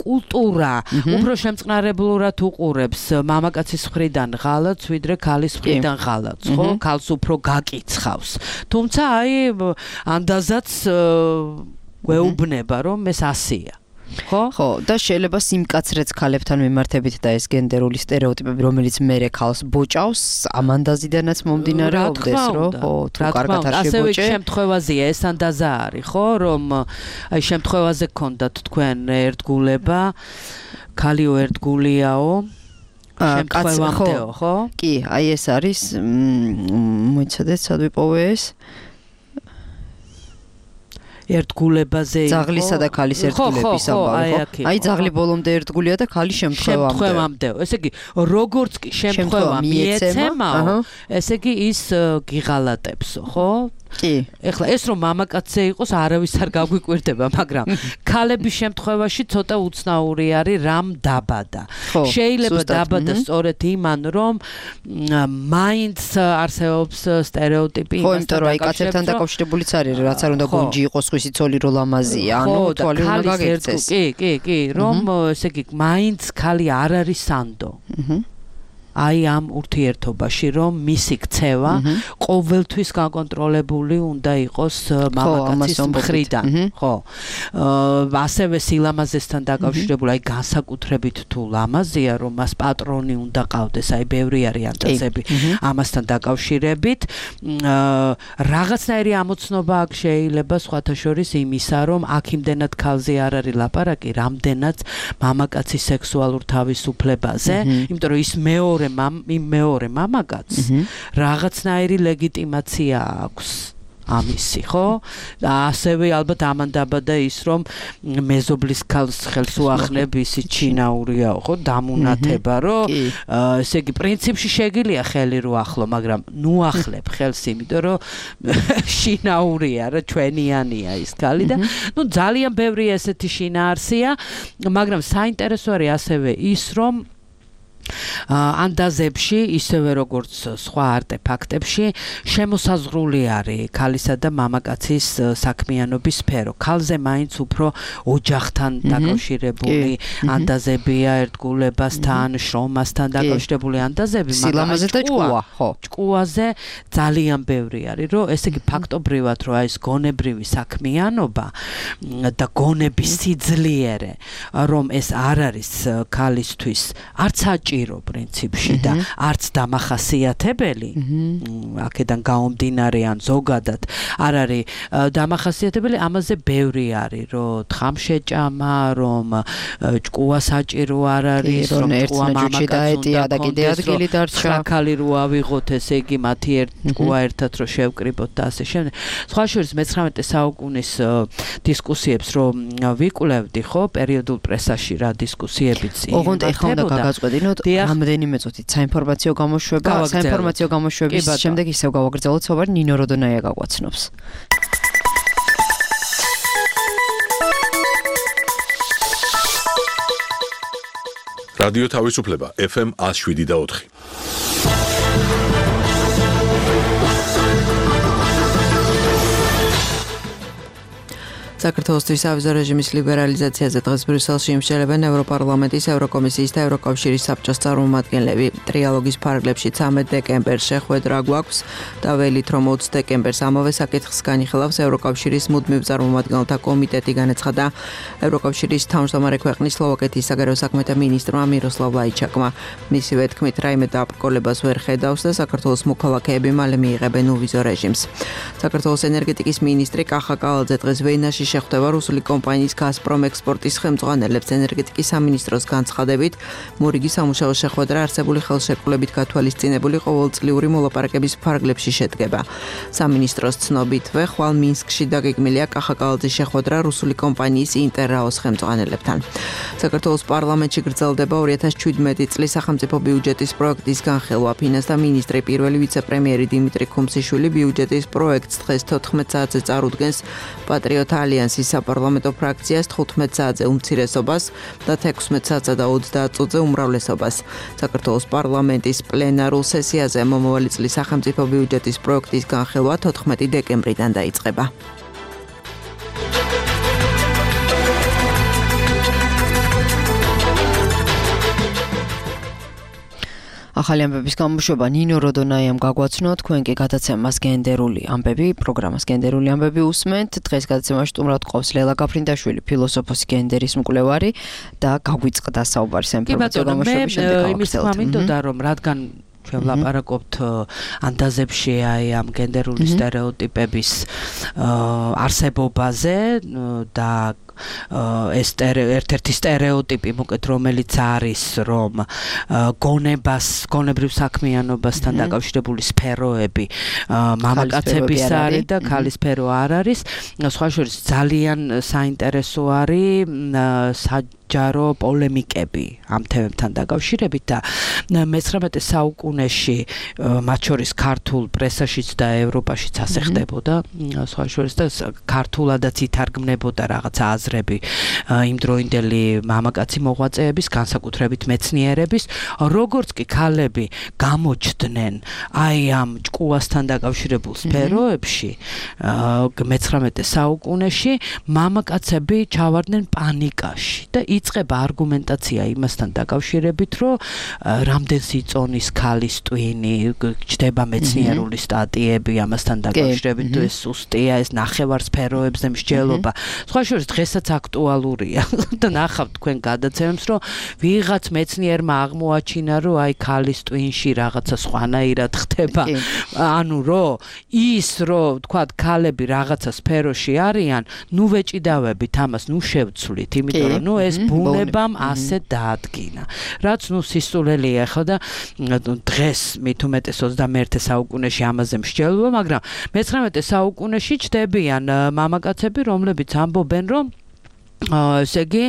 კულტურა უფრო შემწყნარებლურად უყურებს მამაკაცის მხრიდან ღალატს, ვიდრე ქალის მხრიდან ღალატს, ხო? ქალს უფრო გაკიცხავს. თუმცა აი ანდაზაც გვეუბნება რომ ეს ასია. ხო? ხო, და შეიძლება სიმკაცრეც ქალებთან მიმართებით და ეს გენდერული სტერეოტიპები, რომელიც მერე ქალს ბოჭავს, ამ ანდაზიდანაც მომდინარეობდეს, რომ ხო, თუ კარგად არ შებოჭე. ასევე შემთხვევაზეა ეს ანდაზა არის, ხო, რომ აი შემთხვევაზე გქონდათ თქვენ ერთგულება, ქალიო ერთგულიაო. შემთხვევამდეო, ხო? კი, აი ეს არის, მოიცადეთ, სად ვიპოვე ეს? ერთგულებაზე იყო. ძაღლისა და ქალის ერთგულების ამბავი, ხო? აი ძაღლი ბოლომდე ერთგულია და ქალი შემთხვევამდე. შემთხვევამდეო. ესე იგი, როგორც კი შემთხვევა მიეცემაო, ესე იგი ის გიღალატებსო, ხო? კი. ეხლა ეს რომ მამაკაცზე იყოს, არავის არ გაგვიკვირდება, მაგრამ ქალების შემთხვევაში ცოტა უცნაური არის რამ დაბადა. შეიძლება დაბადა სწორედ იმან, რომ მაინც არსებობს სტერეოტიპი იმასთან. ხო, იმიტომ რომ აი კაცებთან დაკავშირებულიც არის, რაც არ უნდა გონჯი იყოს ხვისი ცოლი რო ლამაზია, ანუ თვალი უნდა გაგეცეს. კი, კი, კი, რომ ესე იგი მაინც ქალი არ არის სანდო. აჰა. აი ამ ურთიერთობაში რომ მისი ქცევა ყოველთვის გაკონტროლებული უნდა იყოს მამაკაცის მხრიდან, ხო? ასევე სილამაზესთან დაკავშირებული, აი განსაკუთრებით თუ ლამაზია, რომ მას პატრონი უნდა ყავდეს, აი ბევრი არის ანდაზები ამასთან დაკავშირებით. რაღაცნაირი ამოცნობა აქ შეიძლება სხვათა შორის იმისა, რომ აქ იმდენად ქალზე არ არის ლაპარაკი, რამდენად მამაკაცის სექსუალურ თავისუფლებაზე, იმიტომ რომ ის მეორე იმ მეორე მამაკაცს რაღაცნაირი ლეგიტიმაცია აქვს ამისი, ხო? ასევე ალბათ ამან დაბადა ის, რომ მეზობლის ქალს ხელს უახნებ, ისი ჩინაურიაო, ხო? დამუნათება, რომ ესე იგი პრინციპში შეგიძლია ხელი რო ახლო, მაგრამ ნუ ახლებ ხელს, იმიტომ რომ შინაურია, რა ჩვენიანია ის ქალი და ნუ ძალიან ბევრი ესეთი შინაარსია, მაგრამ საინტერესო არის ასევე ის, რომ ანდაზებში, ისევე როგორც სხვა არტეფაქტებში, შემოსაზღვრული არის ქალისა და მამაკაცის საქმიანობის სფერო. ქალზე მაინც უფრო ოჯახთან დაკავშირებული ანდაზებია, ერთგულებასთან, შრომასთან დაკავშირებული ანდაზები, მაგრამ ჭკუა, ხო. ჭკუაზე ძალიან ბევრი არის, რომ ესე იგი ფაქტობრივად, რომ აი ეს გონებრივი საქმიანობა და გონების სიძლიერე, რომ ეს არ არის ქალისთვის არც საჭირო საჭირო პრინციპში და არც დამახასიათებელი აქედან გაომდინარე ან ზოგადად არ არის დამახასიათებელი ამაზე ბევრი არის რომ თხამშეჭამა რომ ჭკუა საჭირო არ არის რომ ჭკუა მამაკაცს და კიდე ადგილი დარჩა ხალი რო ავიღოთ ესე იგი მათი ერთ ჭკუა ერთად რო შევკრიბოთ და ასე შემდეგ სხვა შორის მეცხრამეტე საუკუნის დისკუსიებს რომ ვიკვლევდი ხო პერიოდულ პრესაში რა დისკუსიებიც იყო ოღონდ ეხლა უნდა გაგაწყვეტინოთ რამდენიმე წუთით საინფორმაციო გამოშვება საინფორმაციო გამოშვების შემდეგ ისევ გავაგრძელოთ საუბარი ნინო როდონაია გაგვაცნობს რადიო თავისუფლება ეფ ემ one oh seven და four. საქართველოსთვის ავიზო რეჟიმის ლიბერალიზაციაზე დღეს ბრიუსელში იმსჯელებენ ევროპარლამენტის, ევროკომისიის და ევროკავშირის საბჭოს წარმომადგენლები. ტრიალოგის ფარგლებში ცამეტ დეკემბერს შეხვედრა გვაქვს და ველით რომ ოცი დეკემბერს ამავე საკითხს განიხილავს ევროკავშირის მუდმივ წარმომადგენელთა კომიტეტი, განაცხადა ევროკავშირის თავმჯდომარე ქვეყნის სლოვაკეთის საგარეო საქმეთა მინისტრმა მიროსლავ ლაიჩაკმა. მისივე თქმით, რაიმე დაბრკოლებას ვერ ხედავს და საქართველოს მოქალაქეები მალე მიიღებენ უვიზო რეჟიმს. საქართველოს ენერგეტიკის მინისტრი კახა კალაძე დღეს ვენაში შეხვდება რუსული კომპანიის გაზპრომ ექსპორტის ხელმძღვანელებს. ენერგეტიკის სამინისტროს განცხადებით, მორიგი სამუშაო შეხვედრა არსებული ხელშეკრულებით გათვალისწინებული ყოველწლიური მოლაპარაკების ფარგლებში შედგება. სამინისტროს ცნობითვე, ხვალ მინსკში დაგეგმილია კახა კალაძის შეხვედრა რუსული კომპანიის ინტერრაოს ხელმძღვანელებთან. საქართველოს პარლამენტში გრძელდება ორი ათას შვიდმეტი წლის სახელმწიფო ბიუჯეტის პროექტის განხილვა. ფინანსთა მინისტრი პირველი ვიცე-პრემიერი დიმიტრი ქუმციშვილი ბიუჯეტის პროექტს დღეს თოთხმეტ საათზე წარუდგენს პატრიოტ ალიანსის საპარლამენტო ფრაქციას თხუთმეტ საათზე უმცირესობას და თექვსმეტ საათსა და ოცდაათ წუთზე უმრავლესობას. საქართველოს პარლამენტის პლენარულ სესიაზე მომავალი წლის სახელმწიფო ბიუჯეტის პროექტის განხილვა თოთხმეტი დეკემბრიდან დაიწყება. ახალი ამბების გამოშვება ნინო როდონაიამ გაგვაცნო, თქვენ კი გადაცემას გენდერული ამბები, პროგრამას გენდერული ამბები უსმენთ. დღეს გადაცემაში სტუმრად ყავს ლელა გაფრინდაშვილი, ფილოსოფოსი, გენდერის მკვლევარი და გაგვიწყდა საუბარი საინფორმაციო გამოშვების შემდეგ. მე იმის თქმა მინდოდა რომ რადგან ჩვენ ვლაპარაკობთ ანდაზებში აი ამ გენდერული სტერეოტიპების არსებობაზე და ეს ერთ-ერთი სტერეოტიპი მოკეთ რომელიც არის რომ გონებას გონებრივ საქმიანობასთან დაკავშირებული სფეროები მამაკაცების არის და ქალის სფერო არ არის სხვა შორის ძალიან საინტერესო არის ჯარო პოლემიკები ამ თემებთან დაკავშირებით და მეცხრამეტე საუკუნეში მათ შორის ქართულ პრესაშიც და ევროპაშიც ასე ხდებოდა სხვა შორის და ქართულადაც ითარგმნებოდა რაღაც აზრები იმდროინდელი მამაკაცი მოღვაწეების განსაკუთრებით მეცნიერების როგორც კი ქალები გამოჩდნენ აი ამ ჭკუასთან დაკავშირებულ სფეროებში მეცხრამეტე საუკუნეში მამაკაცები ჩავარდნენ პანიკაში და იწყება არგუმენტაცია იმასთან დაკავშირებით, რომ რამდენს იწონის ქალის ტვინი, ჩდება მეცნიერული სტატიები ამასთან დაკავშირებით, თუ ეს სუსტია, ეს ნახევარსფეროებზე მსჯელობა. სხვა შორის დღესაც აქტუალურია და ნახავთ თქვენ გადაცემებს, რომ ვიღაც მეცნიერმა აღმოაჩინა, რომ აი ქალის ტვინში რაღაცა სხვანაირად ხდება. ანუ რომ ის რომ თქვა ქალები რაღაცა სფეროში არიან, ნუ ვეჭიდავებით ამას, ნუ შევცვლით, იმიტომ რომ ნუ ეს ბუნებამ ასე დაადგინა. რაც ნუ სისულელია ხო და დღეს მით უმეტეს ოცდამეერთე საუკუნეში ამაზე მსჯელობა, მაგრამ მეცხრამეტე საუკუნეში ჩდებიან მამაკაცები, რომლებიც ამბობენ, რომ ესე იგი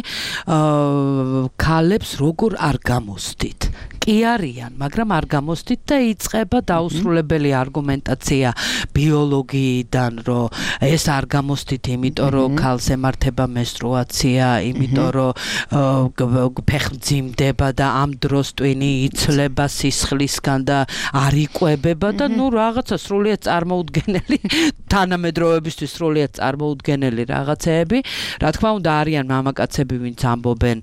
ქალებს როგორ არ გამოსდით. კი არიან, მაგრამ არ გამოსდით და იწყება დაუსრულებელი არგუმენტაცია ბიოლოგიიდან, რომ ეს არ გამოსდით, იმიტომ რომ ქალს ემართება მენსტრუაცია, იმიტომ რომ ფეხმძიმდება და ამ დროს ტვინი იცლება სისხლისგან და არ იკვებება და ნუ რაღაცა სრულიად წარმოუდგენელი თანამედროვეებისთვის სრულიად წარმოუდგენელი რაღაცეები. რა თქმა უნდა არიან მამაკაცები, ვინც ამბობენ,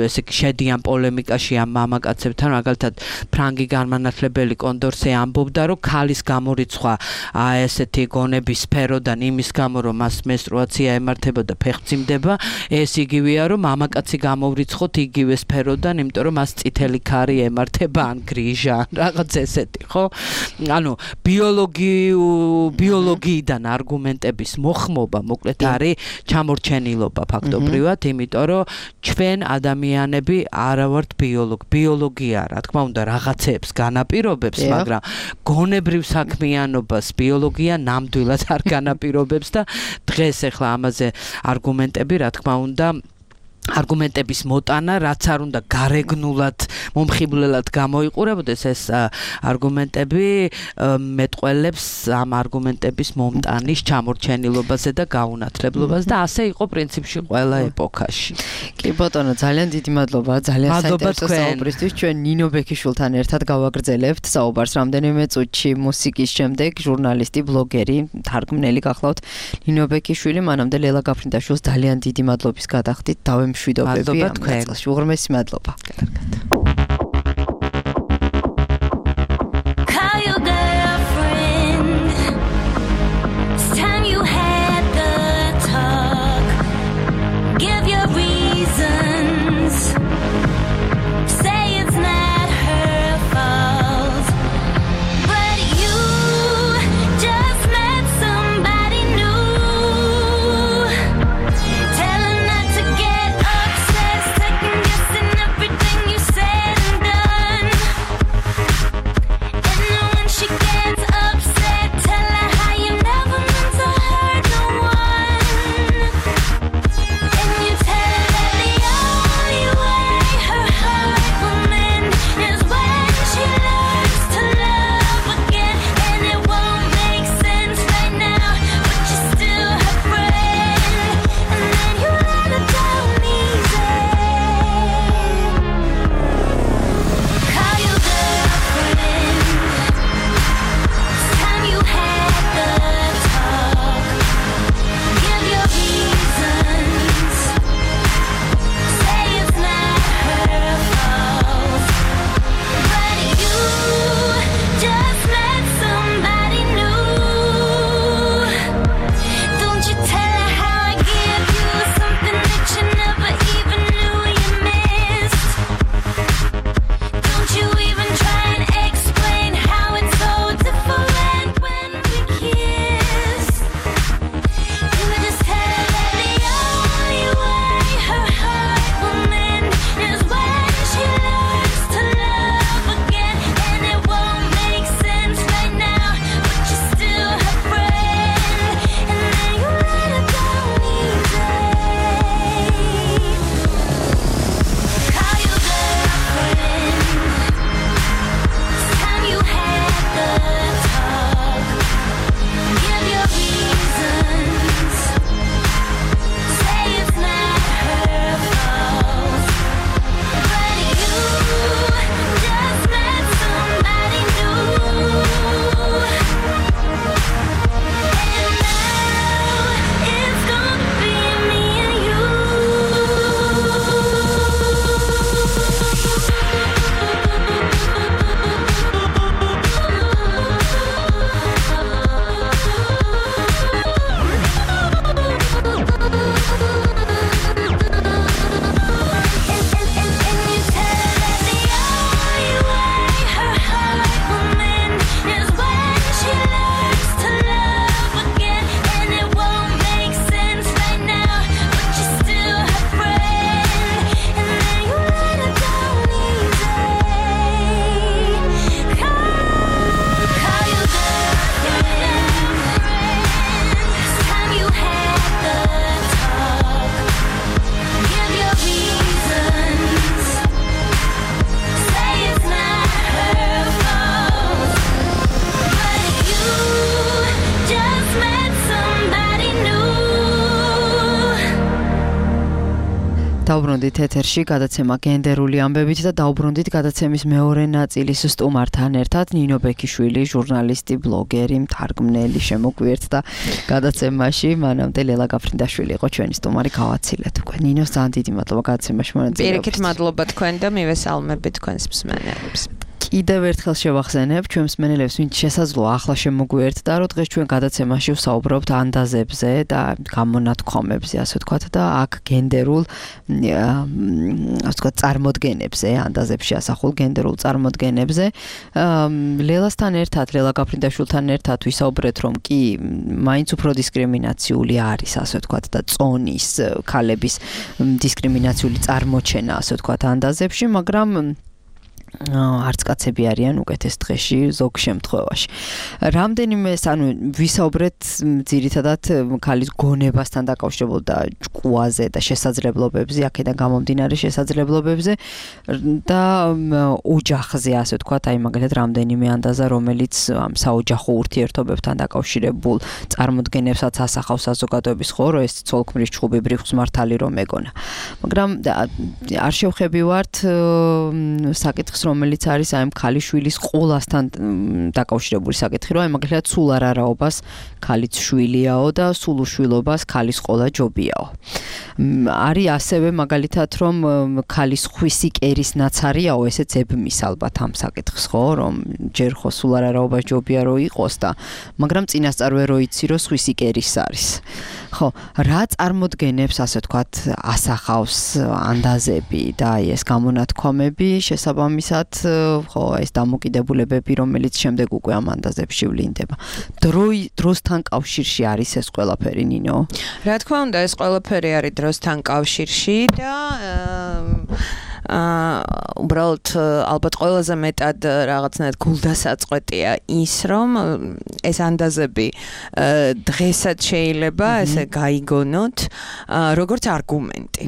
ესე იგი შედიან პოლემიკაში ამ მამაკაცებს მამაკაცებთან, მაგალითად ფრანგი განმანათლებელი კონდორსე ამბობდა, რომ ქალის გამორიცხვა აი ესეთი გონების სფეროდან იმის გამო, რომ მას მენსტრუაცია ემართება და ფეხმძიმდება, ეს იგივეა, რომ მამაკაცი გამორიცხოთ იგივე სფეროდან, იმიტომ რომ მას წითელი ქარი ემართება ან გრიჟა, რაღაც ესეთი, ხო? ანუ ბიოლოგიურ ბიოლოგიიდან არგუმენტების მოხმობა მოკლედ არის ჩამორჩენილობა ფაქტობრივად, იმიტომ რომ ჩვენ ადამიანები არა ვართ ბიოლოგი. ბიოლოგია, რა თქმა უნდა, რაღაცებს განაპირობებს, მაგრამ გონებრივ საქმიანობას ბიოლოგია ნამდვილად არ განაპირობებს და დღეს ახლა ამაზე არგუმენტები, რა თქმა უნდა, არგუმენტების მოტანა, რაც არ უნდა გარეგნულად, მომხიბვლელად გამოიყურებოდეს, ეს არგუმენტები მეტყველებს ამ არგუმენტების მომტანის ჩამორჩენილობაზე და გაუნათლებლობაზე და ასე იყო პრინციპში ყველა ეპოქაში. კი ბატონო, ძალიან დიდი მადლობა, ძალიან საინტერესო საუბრისთვის. ჩვენ ნინო ბექიშვილთან ერთად გავაგრძელებთ საუბარს რამდენიმე წუთში მუსიკის შემდეგ ჟურნალისტი, ბლოგერი, თარგმნელი გახლავთ ნინო ბექიშვილი. მანამდე ლელა გაფრინდაშვილს ძალიან დიდი მადლობის გადახდით. დავემ მშვიდობები ამ ნაწილში. უღრმესი მადლობა. Said დაუბრუნდით ეთერში გადაცემა გენდერული ამბებით და დაუბრუნდით გადაცემის მეორე ნაწილის სტუმართან ერთად ნინო ბექიშვილი, ჟურნალისტი, ბლოგერი, მთარგმნელი შემოგვიერთდა გადაცემაში. მანამდე ლელა გაფრინდაშვილი იყო ჩვენი სტუმარი, გავაცილეთ უკვე. ნინოს ძალიან დიდი მადლობა გადაცემაში მონაწილეობისთვის. პირიქით მადლობა თქვენ და მივესალმებით თქვენს მსმენელებს. კიდევ ერთხელ შევახსენებ ჩვენ მსმენელებს, ვინც შესაძლოა ახლა შემოგვიერთდა, რომ დღეს ჩვენ გადაცემაში ვსაუბრობთ ანდაზებზე და გამონათქვამებზე, ასე ვთქვათ, და აქ გენდერულ ასე ვთქვათ წარმოდგენებზე, ანდაზებში ასახულ გენდერულ წარმოდგენებზე. ლელასთან ერთად, ლელა გაფრინდაშვილთან ერთად ვისაუბრეთ, რომ კი მაინც უფრო დისკრიმინაციული არის, ასე ვთქვათ, და წონის ქალების დისკრიმინაციული წარმოჩენა, ასე ვთქვათ, ანდაზებში, მაგრამ არც კაცები არიან უკეთეს დღეში ზოგ შემთხვევაში. რამდენიმე, ანუ ვისაუბრეთ ძირითადად ქალის გონებასთან დაკავშირებულ და ჭკუაზე და შესაძლებლობებზე, აქედან გამომდინარე შესაძლებლობებზე და ოჯახზე, ასე ვთქვათ, აი მაგალითად რამდენიმე ანდაზა, რომელიც ამ საოჯახო ურთიერთობებთან დაკავშირებულ წარმოდგენებსაც ასახავს საზოგადოების, ხო, რომ ეს ცოლ-ქმრის ჩხუბი ბრიხვის მართალი რომ ეგონა. მაგრამ არ შევხებივართ საკითხს, რომელიც არის აი ქალიშვილის ყოლასთან დაკავშირებული საკითხი, რომ აი მაგალითად სულ არარაობას ქალიც შვილიაო და სულ უშვილობას ქალის ყოლა ჯობიაო. არის ასევე მაგალითად, რომ ქალის ხვისი კერის ნაცარიაო, ესეც ებმის ალბათ ამ საკითხს, ხო, რომ ჯერ ხო სულ არარაობას ჯობია რომ იყოს და მაგრამ წინასწარ ვერ როიცი, რომ ხვისი კერის არის. ხო, რა წარმოდგენებს, ასე ვთქვათ, ასახავს ანდაზები და აი ეს გამონათქვამები შესაბამისად, ხო, ეს დამოკიდებულებები, რომელიც შემდეგ უკვე ამ ანდაზებში ვლინდება. დროი დროსთან კავშირში არის ეს ყველაფერი, ნინო? რა თქმა უნდა, ეს ყველაფერი არის დროსთან კავშირში და აა უბრალოდ ალბათ ყველაზე მეტად რაღაცნაირად გულდასაწყვეტია ის, რომ ეს ანდაზები დღესაც შეიძლება ესე გაიგონოთ როგორც არგუმენტი.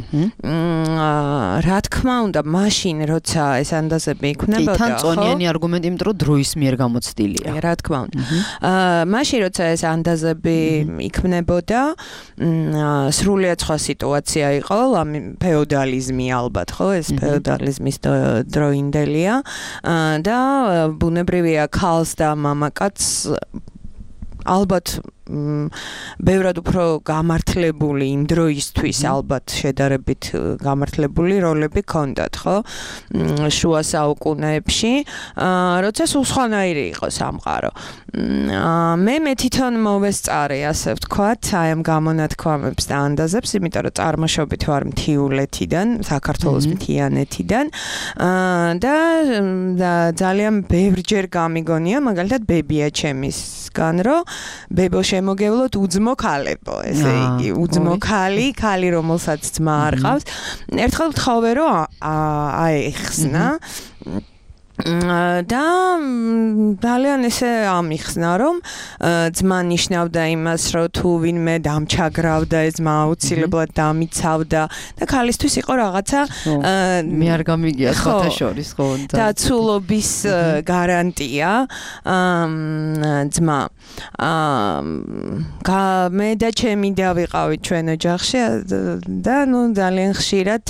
რა თქმა უნდა, მაშინ როცა ეს ანდაზები იქნებოდა, ხო? თან წონიანი არგუმენტი, იმიტომ რომ დროის მიერ გამოცდილია. რა თქმა უნდა. აა მაშინ როცა ეს ანდაზები იქნებოდა, სრულიად სხვა სიტუაცია იყო, ფეოდალიზმი ალბათ, ხო, ეს ფეოდალიზმის დროინდელია და ბუნებრივია ქალს და მამაკაცს ალბათ ბევრად უფრო გამართლებული იმ დროისთვის ალბათ შედარებით გამართლებული როლები ჰქონდათ, ხო? შუა საუკუნეებში, როცა სულ სხვანაირი იყო სამყარო. მე მე თვითონ მოვესწარე, ასე ვთქვათ, აი ამ გამონათქვამებს და ანდაზებს, იმიტომ რომ წარმოშობით ვარ მთიულეთიდან, საქართველოს მთიანეთიდან და ძალიან ბევრჯერ გამიგონია, მაგალითად ბებია ჩემისგან, რომ ბებო შემოგევლოთ უძმო ქალებო, ესე იგი, უძმო ქალი, ქალი რომელსაც ძმა არ ყავს. ერთხელ ვთხოვე, რომ აეხსნა და ძალიან ესე ამიხსნა, რომ ძმა ნიშნავდა იმას, რომ თუ ვინმე დამჩაგრავდა, ეს ძმა აუცილებლად დამიცავდა და ქალისთვის იყო რაღაცა მე არ გამიგია სხვათა შორის, ხო? დაცულობის გარანტია ძმა. მე და ჩემი დავიყავით ჩვენ ოჯახში და ნუ ძალიან ხშირად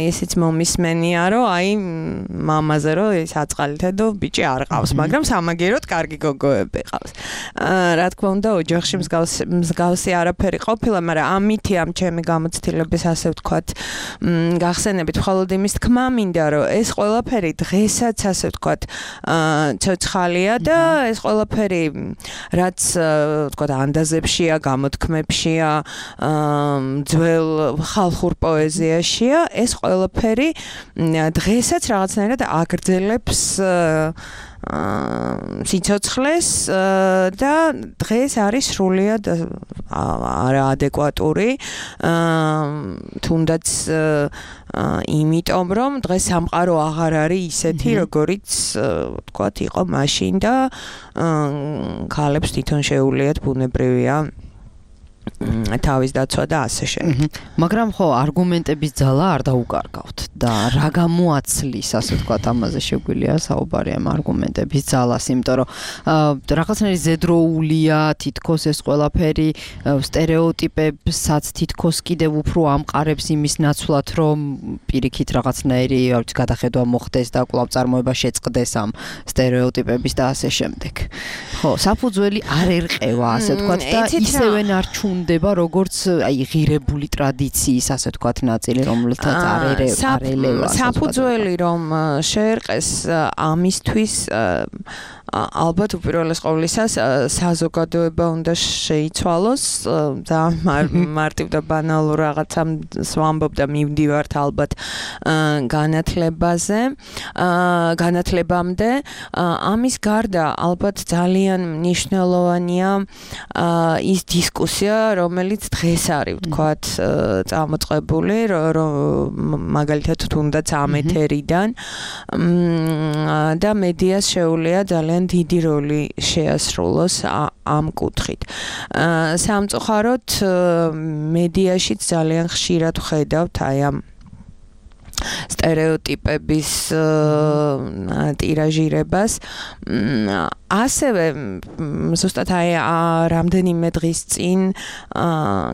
ესეც მომისმენია, რომ აი მამაზე რომ ეს აწყალითედო ბიჭი არ ყავს, მაგრამ სამაგეროდ კარგი გოგოები ყავს. რა თქმა უნდა, ოჯახში მსგავსი არაფერი ყოფილა, მაგრამ ამითი ამ ჩემი გამოცდილების, ასე ვთქვათ, გახსენებით მხოლოდ იმის თქმა მინდა, რომ ეს ყველაფერი დღესაც, ასე ვთქვათ, ცოცხალია და ეს ყველაფერი, რაც ვთქვათ, ანდაზებშია, გამოთქმებშია, ძველ ხალხურ პოეზიაშია, ეს ყველაფერი დღესაც რაღაცნაირად აგრძელებს სიცოცხლეს და დღეს არის სრულიად არაადეკვატური, თუნდაც იმიტომ, რომ დღეს სამყარო აღარ არის ისეთი, როგორიც ვთქვათ, იყო მაშინ და ქალებს თვითონ შეუულიათ ბუნებრივია თავის დაცვა და ასე შემდეგ. მაგრამ ხო არგუმენტების ძალა არ დაუკარგავთ და რა გამოაცლის, ასე ვთქვათ, ამაზე შეგვიძლია საუბარი ამ არგუმენტების ძალას, იმიტომ რომ რაღაცნაირი ზედროულია თითქოს ეს ყველაფერი სტერეოტიპებსაც თითქოს კიდევ უფრო ამყარებს იმის ნაცვლად, რომ პირიქით რაღაცნაირი გადახედვა მოხდეს და კვლავ წარმოება შეწყდეს ამ სტერეოტიპების და ასე შემდეგ. ხო, საფუძველი არ ერყევა, ასე ვთქვათ და ისევე ნარჩუნდება როგორც აი ღირებული ტრადიციის, ასე ვთქვათ, ნაწილი, რომელთაც არ ერევა. საფუძველი რომ შეერყეს ამისთვის ალბათ უპირველეს ყოვლისა საზოგადოება უნდა შეიცვალოს და მარტივ და ბანალურ რაღაცამ ვამბობ და მივდივართ ალბათ განათლებაზე განათლებამდე ამის გარდა ალბათ ძალიან მნიშვნელოვანია ის დისკუსია რომელიც დღეს არის ვთქვათ წამოწყებული მაგალითად თუნდაც ამ ეთერიდან და მედიას შეუძლია ძალიან დიდი როლი შეასრულოს ამ კუთხით. სამწუხაროდ მედიაშიც ძალიან ხშირად ვხედავთ აი ამ სტერეოტიპების ტირაჟირებას. ასევე ზუსტად აი რამდენიმე დღის წინ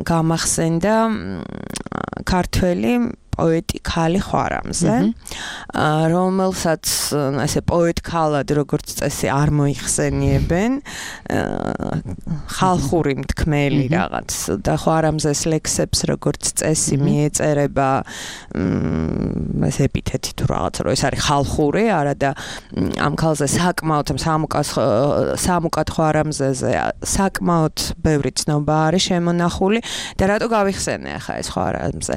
გამახსენდა ქართველი პოეტი ქალი ხვარამზე, რომელსაც ასე პოეტ ქალად როგორც წესი არ მოიხსენიებენ, ხალხური მთქმელი რაღაც და ხვარამზეს ლექსებს როგორც წესი მიეწერება ეს ეპითეტი თუ რაღაც რომ ეს არის ხალხური, არა და ამ ქალზე საკმაოდ სამუკას სამუკად ხვარამზეზე საკმაოდ ბევრი ცნობა არის შემონახული და რატო გავიხსენე ახლა ეს ხვარამზე?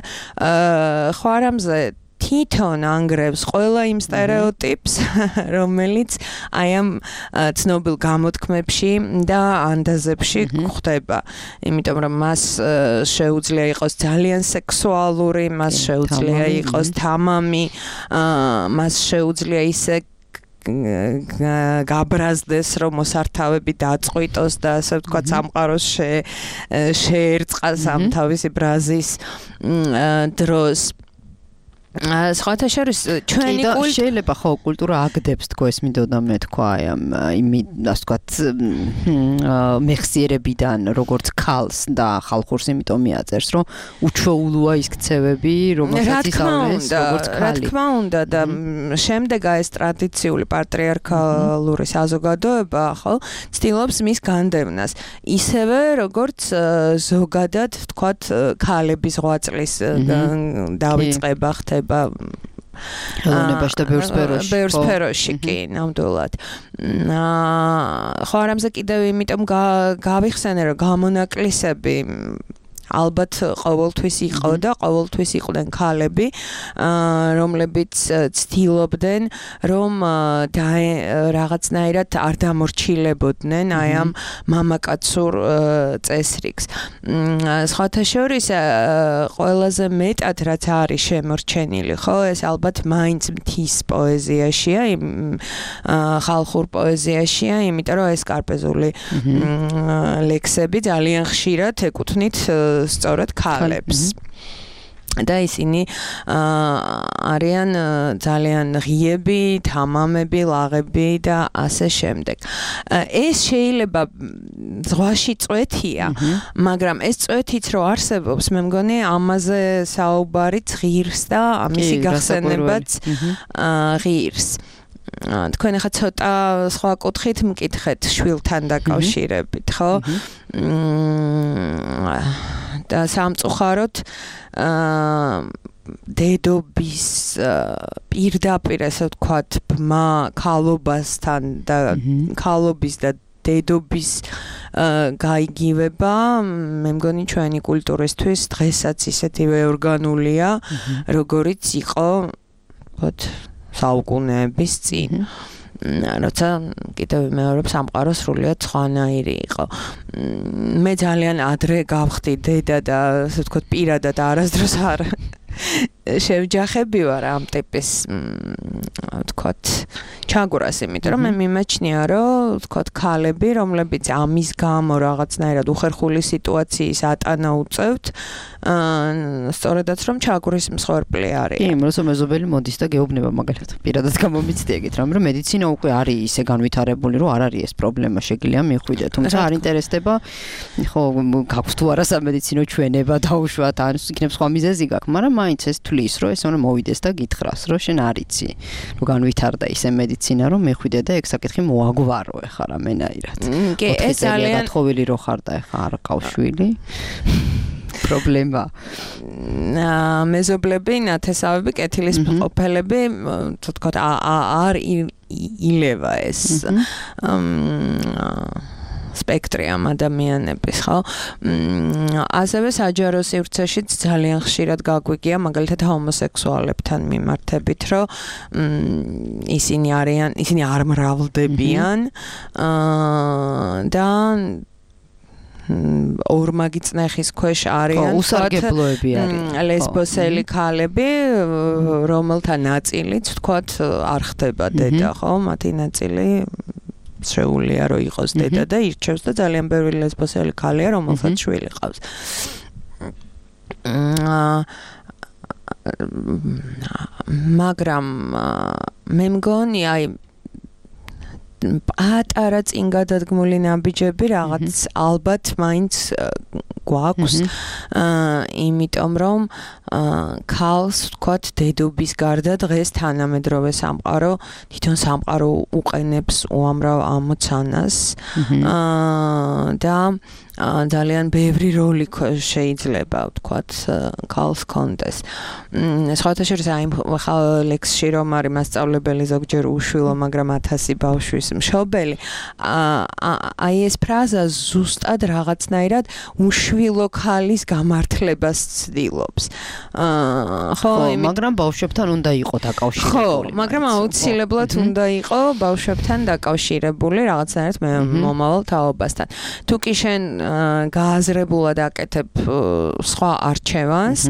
ხვარამზე თვითონ ანგრევს ყველა იმ სტერეოტიპს, რომელიც აი ამ ცნობილ გამოთქმებში და ანდაზებში ხდება. იმიტომ რომ მას შეუძლია იყოს ძალიან სექსუალური, მას შეუძლია იყოს თამამი, მას შეუძლია ისე გაბრაზდეს რომ მოსართავები დაწყვიტოს და ასე ვთქვათ სამყაროს შეერწყას ამ თავისი ბრაზის დროს. სხვათა შორის ჩვენი კულტურა შეიძლება ხო კულტურა აგდებს თქო ეს მინდოდა მე თქვა აი ამ იმი ასე ვთქვათ მეხსიერებიდან როგორც ქალს და ხალხურს იმიტომ მიაწერს რომ უჩვეულოა ის ქცევები რომელსაც ისწავლეს როგორც ქალი. რა თქმა უნდა და შემდეგ ეს ტრადიციული პატრიარქალური საზოგადოება ხო ცდილობს მის განდევნას. ისევე როგორც ზოგადად ვთქვათ ქალების ღვაწლის დავიწყება ხდება ხელოვნებაში და ბევრ სფეროში. ბევრ სფეროში კი, ნამდვილად. ხო არამზე კიდევ იმიტომ გავიხსენე რომ გამონაკლისები ალბათ ყოველთვის იყო და ყოველთვის იყვნენ ქალები, რომლებიც ცდილობდნენ რომ რაღაცნაირად არ დამორჩილებოდნენ აი ამ მამაკაცურ წესრიგს. სხვათა შორის ყველაზე მეტად რაც არის შემორჩენილი, ხო, ეს ალბათ მაინც მთის პოეზიაშია, ხალხურ პოეზიაშია, იმიტომ რომ ეს კარპეზული ლექსები ძალიან ხშირად ეკუთვნით სწორად ქალებს. და ისინი არიან ძალიან ღიები, თამამები, ლაღები და ასე შემდეგ. ეს შეიძლება ზღვაში წვეთია, მაგრამ ეს წვეთიც რო არსებობს, მე მგონი ამაზე საუბარიც ღირს და ამისი გახსენებაც ღირს. თქვენ ახლა ცოტა სხვა კუთხით მკითხეთ შვილთან დაკავშირებით, ხო? და სამწუხაროდ დედობის პირდაპირ ასე ვთქვათ ბმა ქალობასთან და ქალობის და დედობის გაიგივება მე მგონი ჩვენი კულტურისთვის დღესაც ისეთივე ორგანულია როგორიც იყო ვთქვათ საუკუნეების წინ. როცა კიდევ მეორე სამყარო სრულიად სხვანაირი იყო. მე ძალიან ადრე გავხდი დედა და ასე ვთქვათ პირადად არასდროს არ შევჯახები ვარ ამ ტიპის ვთქვათ ჩაგვრას, იმიტომ რომ მე მიმაჩნია რომ ვთქვათ ქალები, რომლებიც ამის გამო რაღაცნაირად უხერხული სიტუაციის ატანა უწევთ, სწორედაც რომ ჩაგვრის მსხვერპლი არის. კი, როცა მეზობელი მოდის და გეუბნება მაგალითად პირადად გამომიცდი ეგეთ რამ, რომ მედიცინა უკვე არის ისე განვითარებული, რომ არ არის ეს პრობლემა შეგიძლია მიხვიდე, თუმცა არ ინტერესდება, ხო, გაქვს თუ არა სამედიცინო ჩვენება დაუშვათ, ან იქნებ სხვა მიზეზი გაქვს, მაგრამ მაინც ეს თulis, რომ ეს უნდა მოვიდეს და გითხრას, რომ შენ არ იცი, რომ განვითარდა ისე მედიცინა, რომ მეხვიდე და ეგ საკითხი მოაგვარო ეხლა რამენაირად. კი, ეს ძალიან გათხოვილი რო ხარ და ეხლა არ ყავს შვილი. პრობლემა. მეზობლები, ნათესავები, კეთილის ყოფილები, თქო, არ ილევა ეს სპექტრი ამ ადამიანების, ხო? ასევე საჯარო სივრცეშიც ძალიან ხშირად გაგვიგია, მაგალითად ჰომოსექსუალებთან მიმართებით, რომ ისინი არიან, ისინი არ მრავლდებიან და ორმაგი წნეხის ქვეშ არიან, უსარგებლოები არიან. ლესბოსელი ქალები, რომელთა ნაწილიც, ვთქვათ, არ ხდება დედა, ხო? მათი ნაწილი შეუძლია რომ იყოს დედა და ირჩევს და ძალიან ბევრი ლესბოსელი ქალია, რომელსაც შვილი ყავს. მაგრამ მე მგონი აი პატარა წინ გადადგმული ნაბიჯები რაღაც ალბათ მაინც გვაქვს, იმიტომ რომ ქალს ვთქვათ დედობის გარდა დღეს თანამედროვე სამყარო თვითონ სამყარო უყენებს უამრავ ამოცანას და ძალიან ბევრი როლი შეიძლება ვთქვათ ქალს კონდეს. სხვათა შორის აი ხალ ლექსში რომ არის მასწავლებელი ზოგჯერ უშვილო, მაგრამ ათასი ბავშვის მშობელი, აი ეს ფრაზა ზუსტად რაღაცნაირად უშვილო ქალის გამართლებას ცდილობს. ხო, მაგრამ ბავშვებთან უნდა იყო დაკავშირებული. ხო, მაგრამ აუცილებლად უნდა იყო ბავშვებთან დაკავშირებული რაღაცნაირად მომავალ თაობასთან. თუ კი შენ გააზრებულად აკეთებ სხვა არჩევანს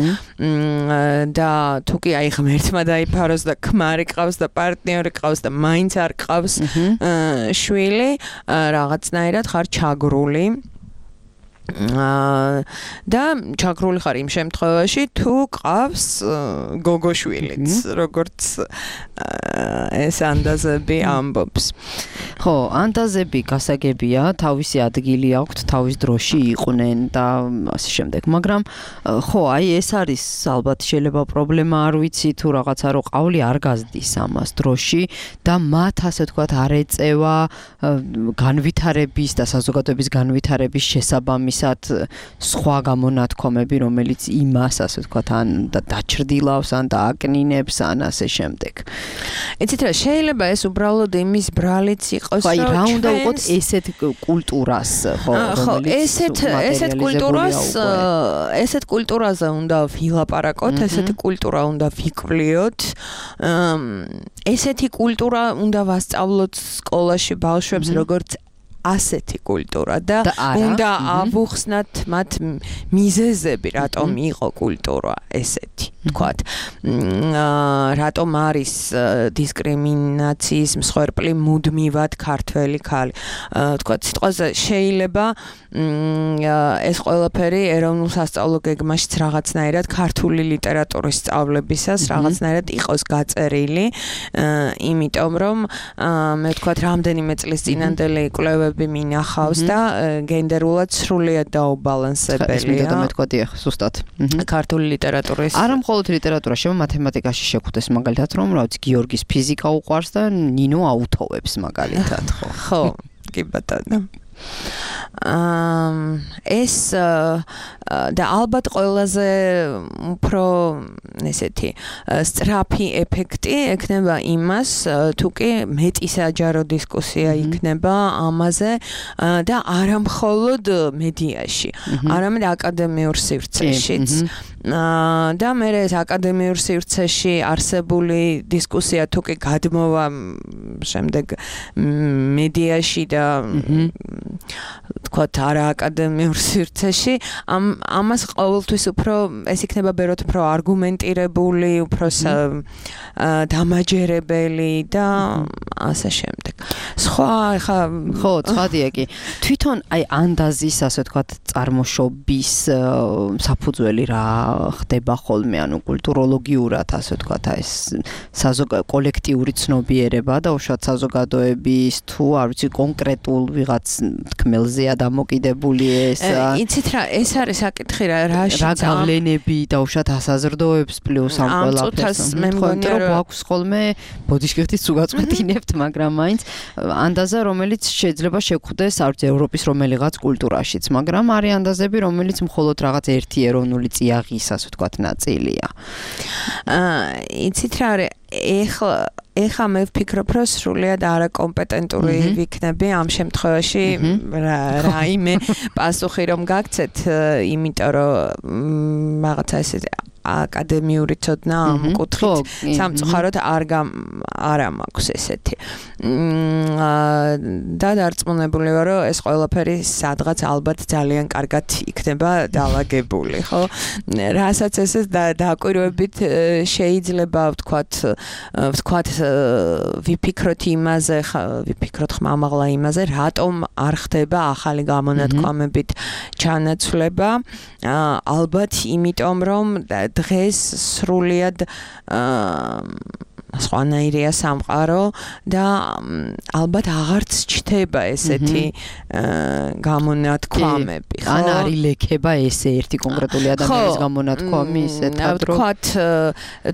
და თუ კი აი ღმერთმა დაიფაროს და ქმარი ყავს და პარტნიორი ყავს და მაინც არ ყავს შვილი, რაღაცნაირად ხარ ჩაგრული და ჩაგრული ხარ იმ შემთხვევაში თუ ყავს გოგოშვილიც, როგორც ეს ანდაზები ამბობს. ხო, ანდაზები გასაგებია, თავისი ადგილი აქვთ, თავის დროში იყვნენ და ასე შემდეგ. მაგრამ ხო, აი ეს არის ალბათ შეიძლება პრობლემა, არ ვიცი თუ რაღაცა რო ყავლი არ გაზდის ამას დროში და მათ ასე ვთქვათ არ ეწევა განვითარების და საზოგადოების განვითარების შესაბამისად სხვა გამონათქვამები, რომელიც იმას ასე ვთქვათ ან დაჩრდილავს, ან დააკნინებს, ან ასე შემდეგ. იცით რა, შეიძლება ეს უბრალოდ იმის ბრალიც იყოს, აი რა უნდა უყოთ ესეთ კულტურას, ხო, რომელიც ესეთ ესეთ კულტურას, ესეთ კულტურაზე უნდა ვილაპარაკოთ, ესეთი კულტურა უნდა ვიკვლიოთ. ესეთი კულტურა უნდა ვასწავლოთ სკოლაში ბავშვებს, როგორც ასეთი კულტურა და უნდა ავუხსნათ მათ მიზეზები, რატომ იყო კულტურა ესეთი, თქვათ. რატომ არის დისკრიმინაციის მსხვერპლი მუდმივად ქართველი ქალი. თქვათ, სიტყვაზე შეიძლება ეს ყველაფერი ეროვნულ სასწავლო გეგმაშიც რაღაცნაირად ქართული ლიტერატურის სწავლებისას რაღაცნაირად იყოს გაწერილი, იმიტომ რომ მე ვთქვათ, რამდენიმე წლის წინანდელი კვლევები მინახავს და გენდერულად სრულიად დაუბალანსებელია. და მეთქვათი ახ ზუსტად. ქართული ლიტერატურის არა მხოლოდ ლიტერატურა, შემა მათემატიკაში შეხვდეს მაგალითად, რომ რა ვიცი, გიორგის ფიზიკა უყვარს და ნინო აუთოვებს მაგალითად, ხო. ხო, კი ბატონო. ეს და ალბათ ყველაზე უფრო ესეთი სწრაფი ეფექტი ექნება იმას, თუ კი მეტი საჯარო დისკუსია იქნება ამაზე და არა მხოლოდ მედიაში, არამედ აკადემიურ სივრცეშიც. და მე ეს აკადემიურ სივრცეში არსებული დისკუსია თუ კი გადმოვა შემდეგ მედიაში და ვთქვათ, არა აკადემიურ სივრცეში, ამ ამას ყოველთვის უფრო ეს იქნება ბეროთ უფრო არგუმენტირებული, უფრო დამაჯერებელი და ასე შემდეგ. სხვა ხა ხო, ცხადია კი. თვითონ აი ანდაზის ასე ვთქვათ წარმოშობის საფუძველი რა ხდება ხოლმე, ანუ კულტუროლოგიურად ასე ვთქვათ აი ეს საზოგადო კოლექტიური ცნობიერება და უშუალოდ საზოგადოების თუ არ ვიცი კონკრეტულ ვიღაც თქმელზეა დამოკიდებული ეს იცით რა ეს არის საკითხი რა რაშიც რა გავლენები და უშუალოდ ასაზრდოებს პლუს ამ ყველაფერს მე მგონია რომ გვაქვს ხოლმე ბოდიშკირთის უგაწყვეტინებთ მაგრამ მაინც ანდაზა რომელიც შეიძლება შეგვხვდეს არც ევროპის რომელიღაც კულტურაშიც მაგრამ არის ანდაზები რომელიც მხოლოდ რაღაც ერთი ეროვნული წიაღის ასე ვთქვათ ნაწილია აა იცით რა არის ეხლა ეხლა მე ვფიქრობ რომ სრულიად არაკომპეტენტური ვიქნები ამ შემთხვევაში რაიმე პასუხი რომ გაგცეთ იმიტომ რომ რაღაცა ესე აკადემიური ცოდნა ამ კუთხით სამწუხაროდ არ არ მაქვს ესეთი და დარწმუნებული ვარ რომ ეს ყველაფერი სადღაც ალბათ ძალიან კარგად იქნება დაალაგებული ხო რასაც ესე დააკვირვებით შეიძლება ვთქვათ ვთქვათ ვიფიქროთ იმაზე ვიფიქროთ ხმამაღლა იმაზე რატომ არ ხდება ახალი გამონათქვამებით ჩანაცვლება ალბათ იმიტომ რომ დღეს სრულიად სხვანაირია სამყარო და ალბათ აღარც ჩდება ესეთი გამონათქვამები ხო ან არის ლექება ესე ერთი კონკრეტული ადამიანის გამონათქვამი ისეთად რომ ვთქვათ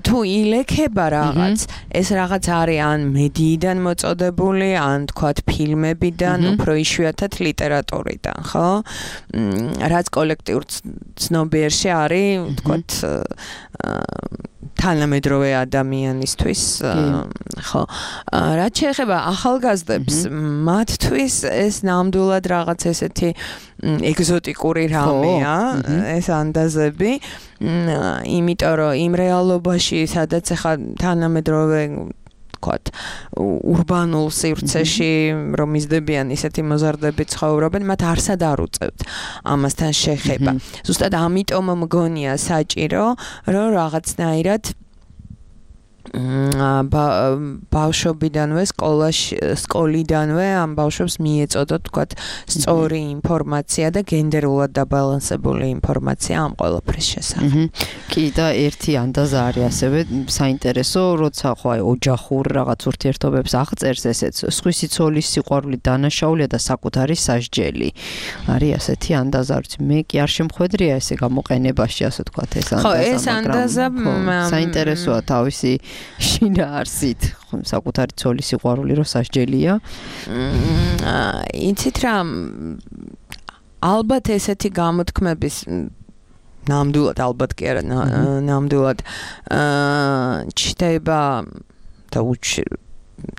თუ ილექება რაღაც ეს რაღაც არის ან მედიიდან მოწოდებული ან ვთქვათ ფილმებიდან უფრო იშვიათად ლიტერატურიდან ხო რაც კოლექტიურ ცნობიერში არის ვთქვათ თანამედროვე ადამიანისთვის ხო რაც შეეხება ახალგაზრდებს მათთვის ეს ნამდვილად რაღაც ესეთი ეგზოტიკური რამეა ეს ანდაზები იმიტომ რომ იმ რეალობაში სადაც ახლა თანამედროვე ვთქვათ урბანულ სივრცეში რომ მიზდებიან ისეთი მოზარდები ცხოვრობენ მათ არსად არ უწევთ ამასთან შეხება ზუსტად ამიტომ მგონია საჭირო რომ რაღაცნაირად ბავშვობიდანვე სკოლაში სკოლიდანვე ამ ბავშვებს მიეწოდოთ თქვათ სწორი ინფორმაცია და გენდერულად დაბალანსებული ინფორმაცია ამ ყველაფრის შესახებ. კი და ერთი ანდაზა არის ასევე საინტერესო, როცა ხო აი ოჯახურ რაღაც ურთიერთობებს აღწერს ესეც სხვისი ცოლის სიყვარული დანაშაულია და საკუთარი სასჯელი. არის ასეთი ანდაზა, ვიცი, მე კი არ შემხვედრია ესე გამოყენებაში, ასე თქვათ ეს ანდაზა. ხო, ეს ანდაზა საინტერესოა თავისი შინაარსით საკუთარი ცოლის სიყვარული რო სასჯელია. იცით რა ალბათ ესეთი გამოთქმების ნამდვილად ალბათ კი არა ნამდვილად ჩდება და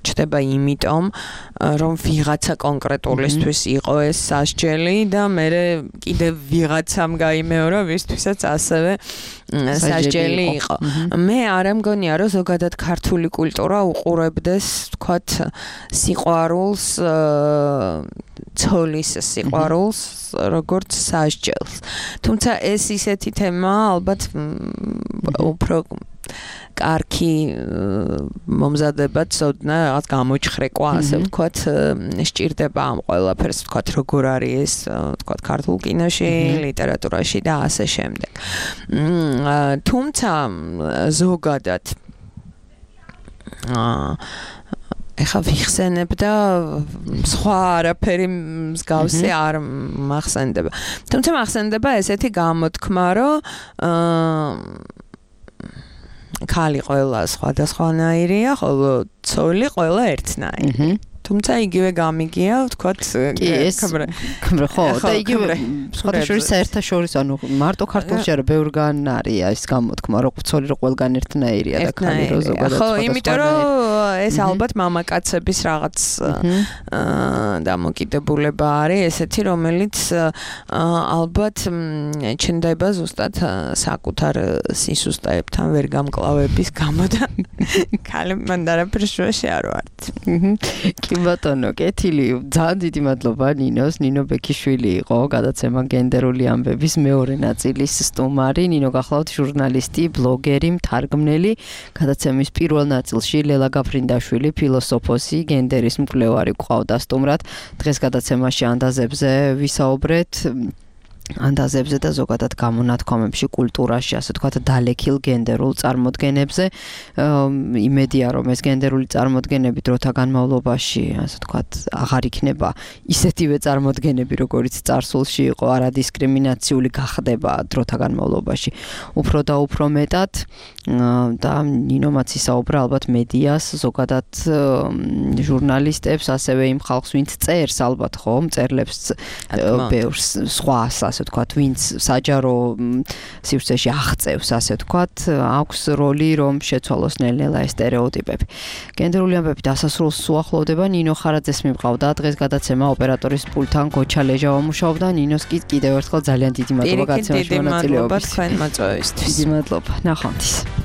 ჩდება იმიტომ რომ ვიღაცა კონკრეტულისთვის იყო ეს სასჯელი და მე კიდევ ვიღაცამ გაიმეორა ვისთვისაც ასევე სასჯელი იყო. მე არ მგონია რომ ზოგადად ქართული კულტურა უყურებდეს თქვათ სიყვარულს ცოლის სიყვარულს როგორც სასჯელს. თუმცა ეს ისეთი თემაა ალბათ უფრო კარგი მომზადება ცოდნა რაღაც გამოჩხრეკვა ასე ვთქვათ სჭირდება ამ ყველაფერს ვთქვათ როგორ არის ეს ვთქვათ ქართულ კინოში ლიტერატურაში და ასე შემდეგ თუმცა ზოგადად ეხა ვიხსენებ და სხვა არაფერი მსგავსი არ მახსენდება თუმცა მახსენდება ესეთი გამოთქმა რომ ქალი ყველა სხვადასხვანაირია, ხოლო ცოლი ყველა ერთნაირი. თუმცა იგივე გამიგია, ვთქვათ, კი ეს ხო, და იგივე სხვადასხვა საერთაშორისო, ანუ მარტო ქართულში არა, ბევრგან არის ეს გამოთქმა, რომ ცოლი რო ყველგან ერთნაირია და ქალი რო ზოგადად ხო, იმიტომ რომ ეს ალბათ მამაკაცების რაღაც დამოკიდებულება არის, ესეთი რომელიც ალბათ ჩნდება ზუსტად საკუთარ სისუსტეებთან ვერ გამკლავების გამო და ქალი მანდ არაფერს შუაში არ ვართ. კი ბატონო, კეთილი, ძალიან დიდი მადლობა ნინოს, ნინო ბექიშვილი იყო გადაცემა გენდერული ამბების მეორე ნაწილის სტუმარი, ნინო გახლავთ ჟურნალისტი, ბლოგერი, მთარგმნელი, გადაცემის პირველ ნაწილში ლელა გაფრინდაშვილი, ფილოსოფოსი, გენდერის მკვლევარი გვყავდა სტუმრად. დღეს გადაცემაში ანდაზებზე ვისაუბრეთ ანდაზებზე და ზოგადად გამონათქვამებში, კულტურაში, ასე ვთქვათ, დალექილ გენდერულ წარმოდგენებზე. იმედია, რომ ეს გენდერული წარმოდგენები დროთა განმავლობაში, ასე ვთქვათ, აღარ იქნება ისეთივე წარმოდგენები, როგორც წარსულში იყო, არადისკრიმინაციული გახდება დროთა განმავლობაში. უფრო და უფრო მეტად და ნინომაც ისაუბრა ალბათ მედიას, ზოგადად ჟურნალისტებს, ასევე იმ ხალხს, ვინც წერს ალბათ, ხო, მწერლებს ბევრს სხვას ასე ვთქვათ, ვინც საჯარო სივრცეში აღწევს, ასე ვთქვათ, აქვს როლი, რომ შეცვალოს ნელ-ნელა ეს სტერეოტიპები. გენდერული ამბები დასასრულს უახლოვდება, ნინო ხარაძეს მივყავდა დღეს გადაცემა ოპერატორის პულტთან გოჩა ლეჟავა მუშაობდა, ნინოს კი კიდევ ერთხელ ძალიან დიდი მადლობა გაცემაში მონაწილეობის. თქვენ მოწვევისთვის. დიდი მადლობა. ნახვამდის.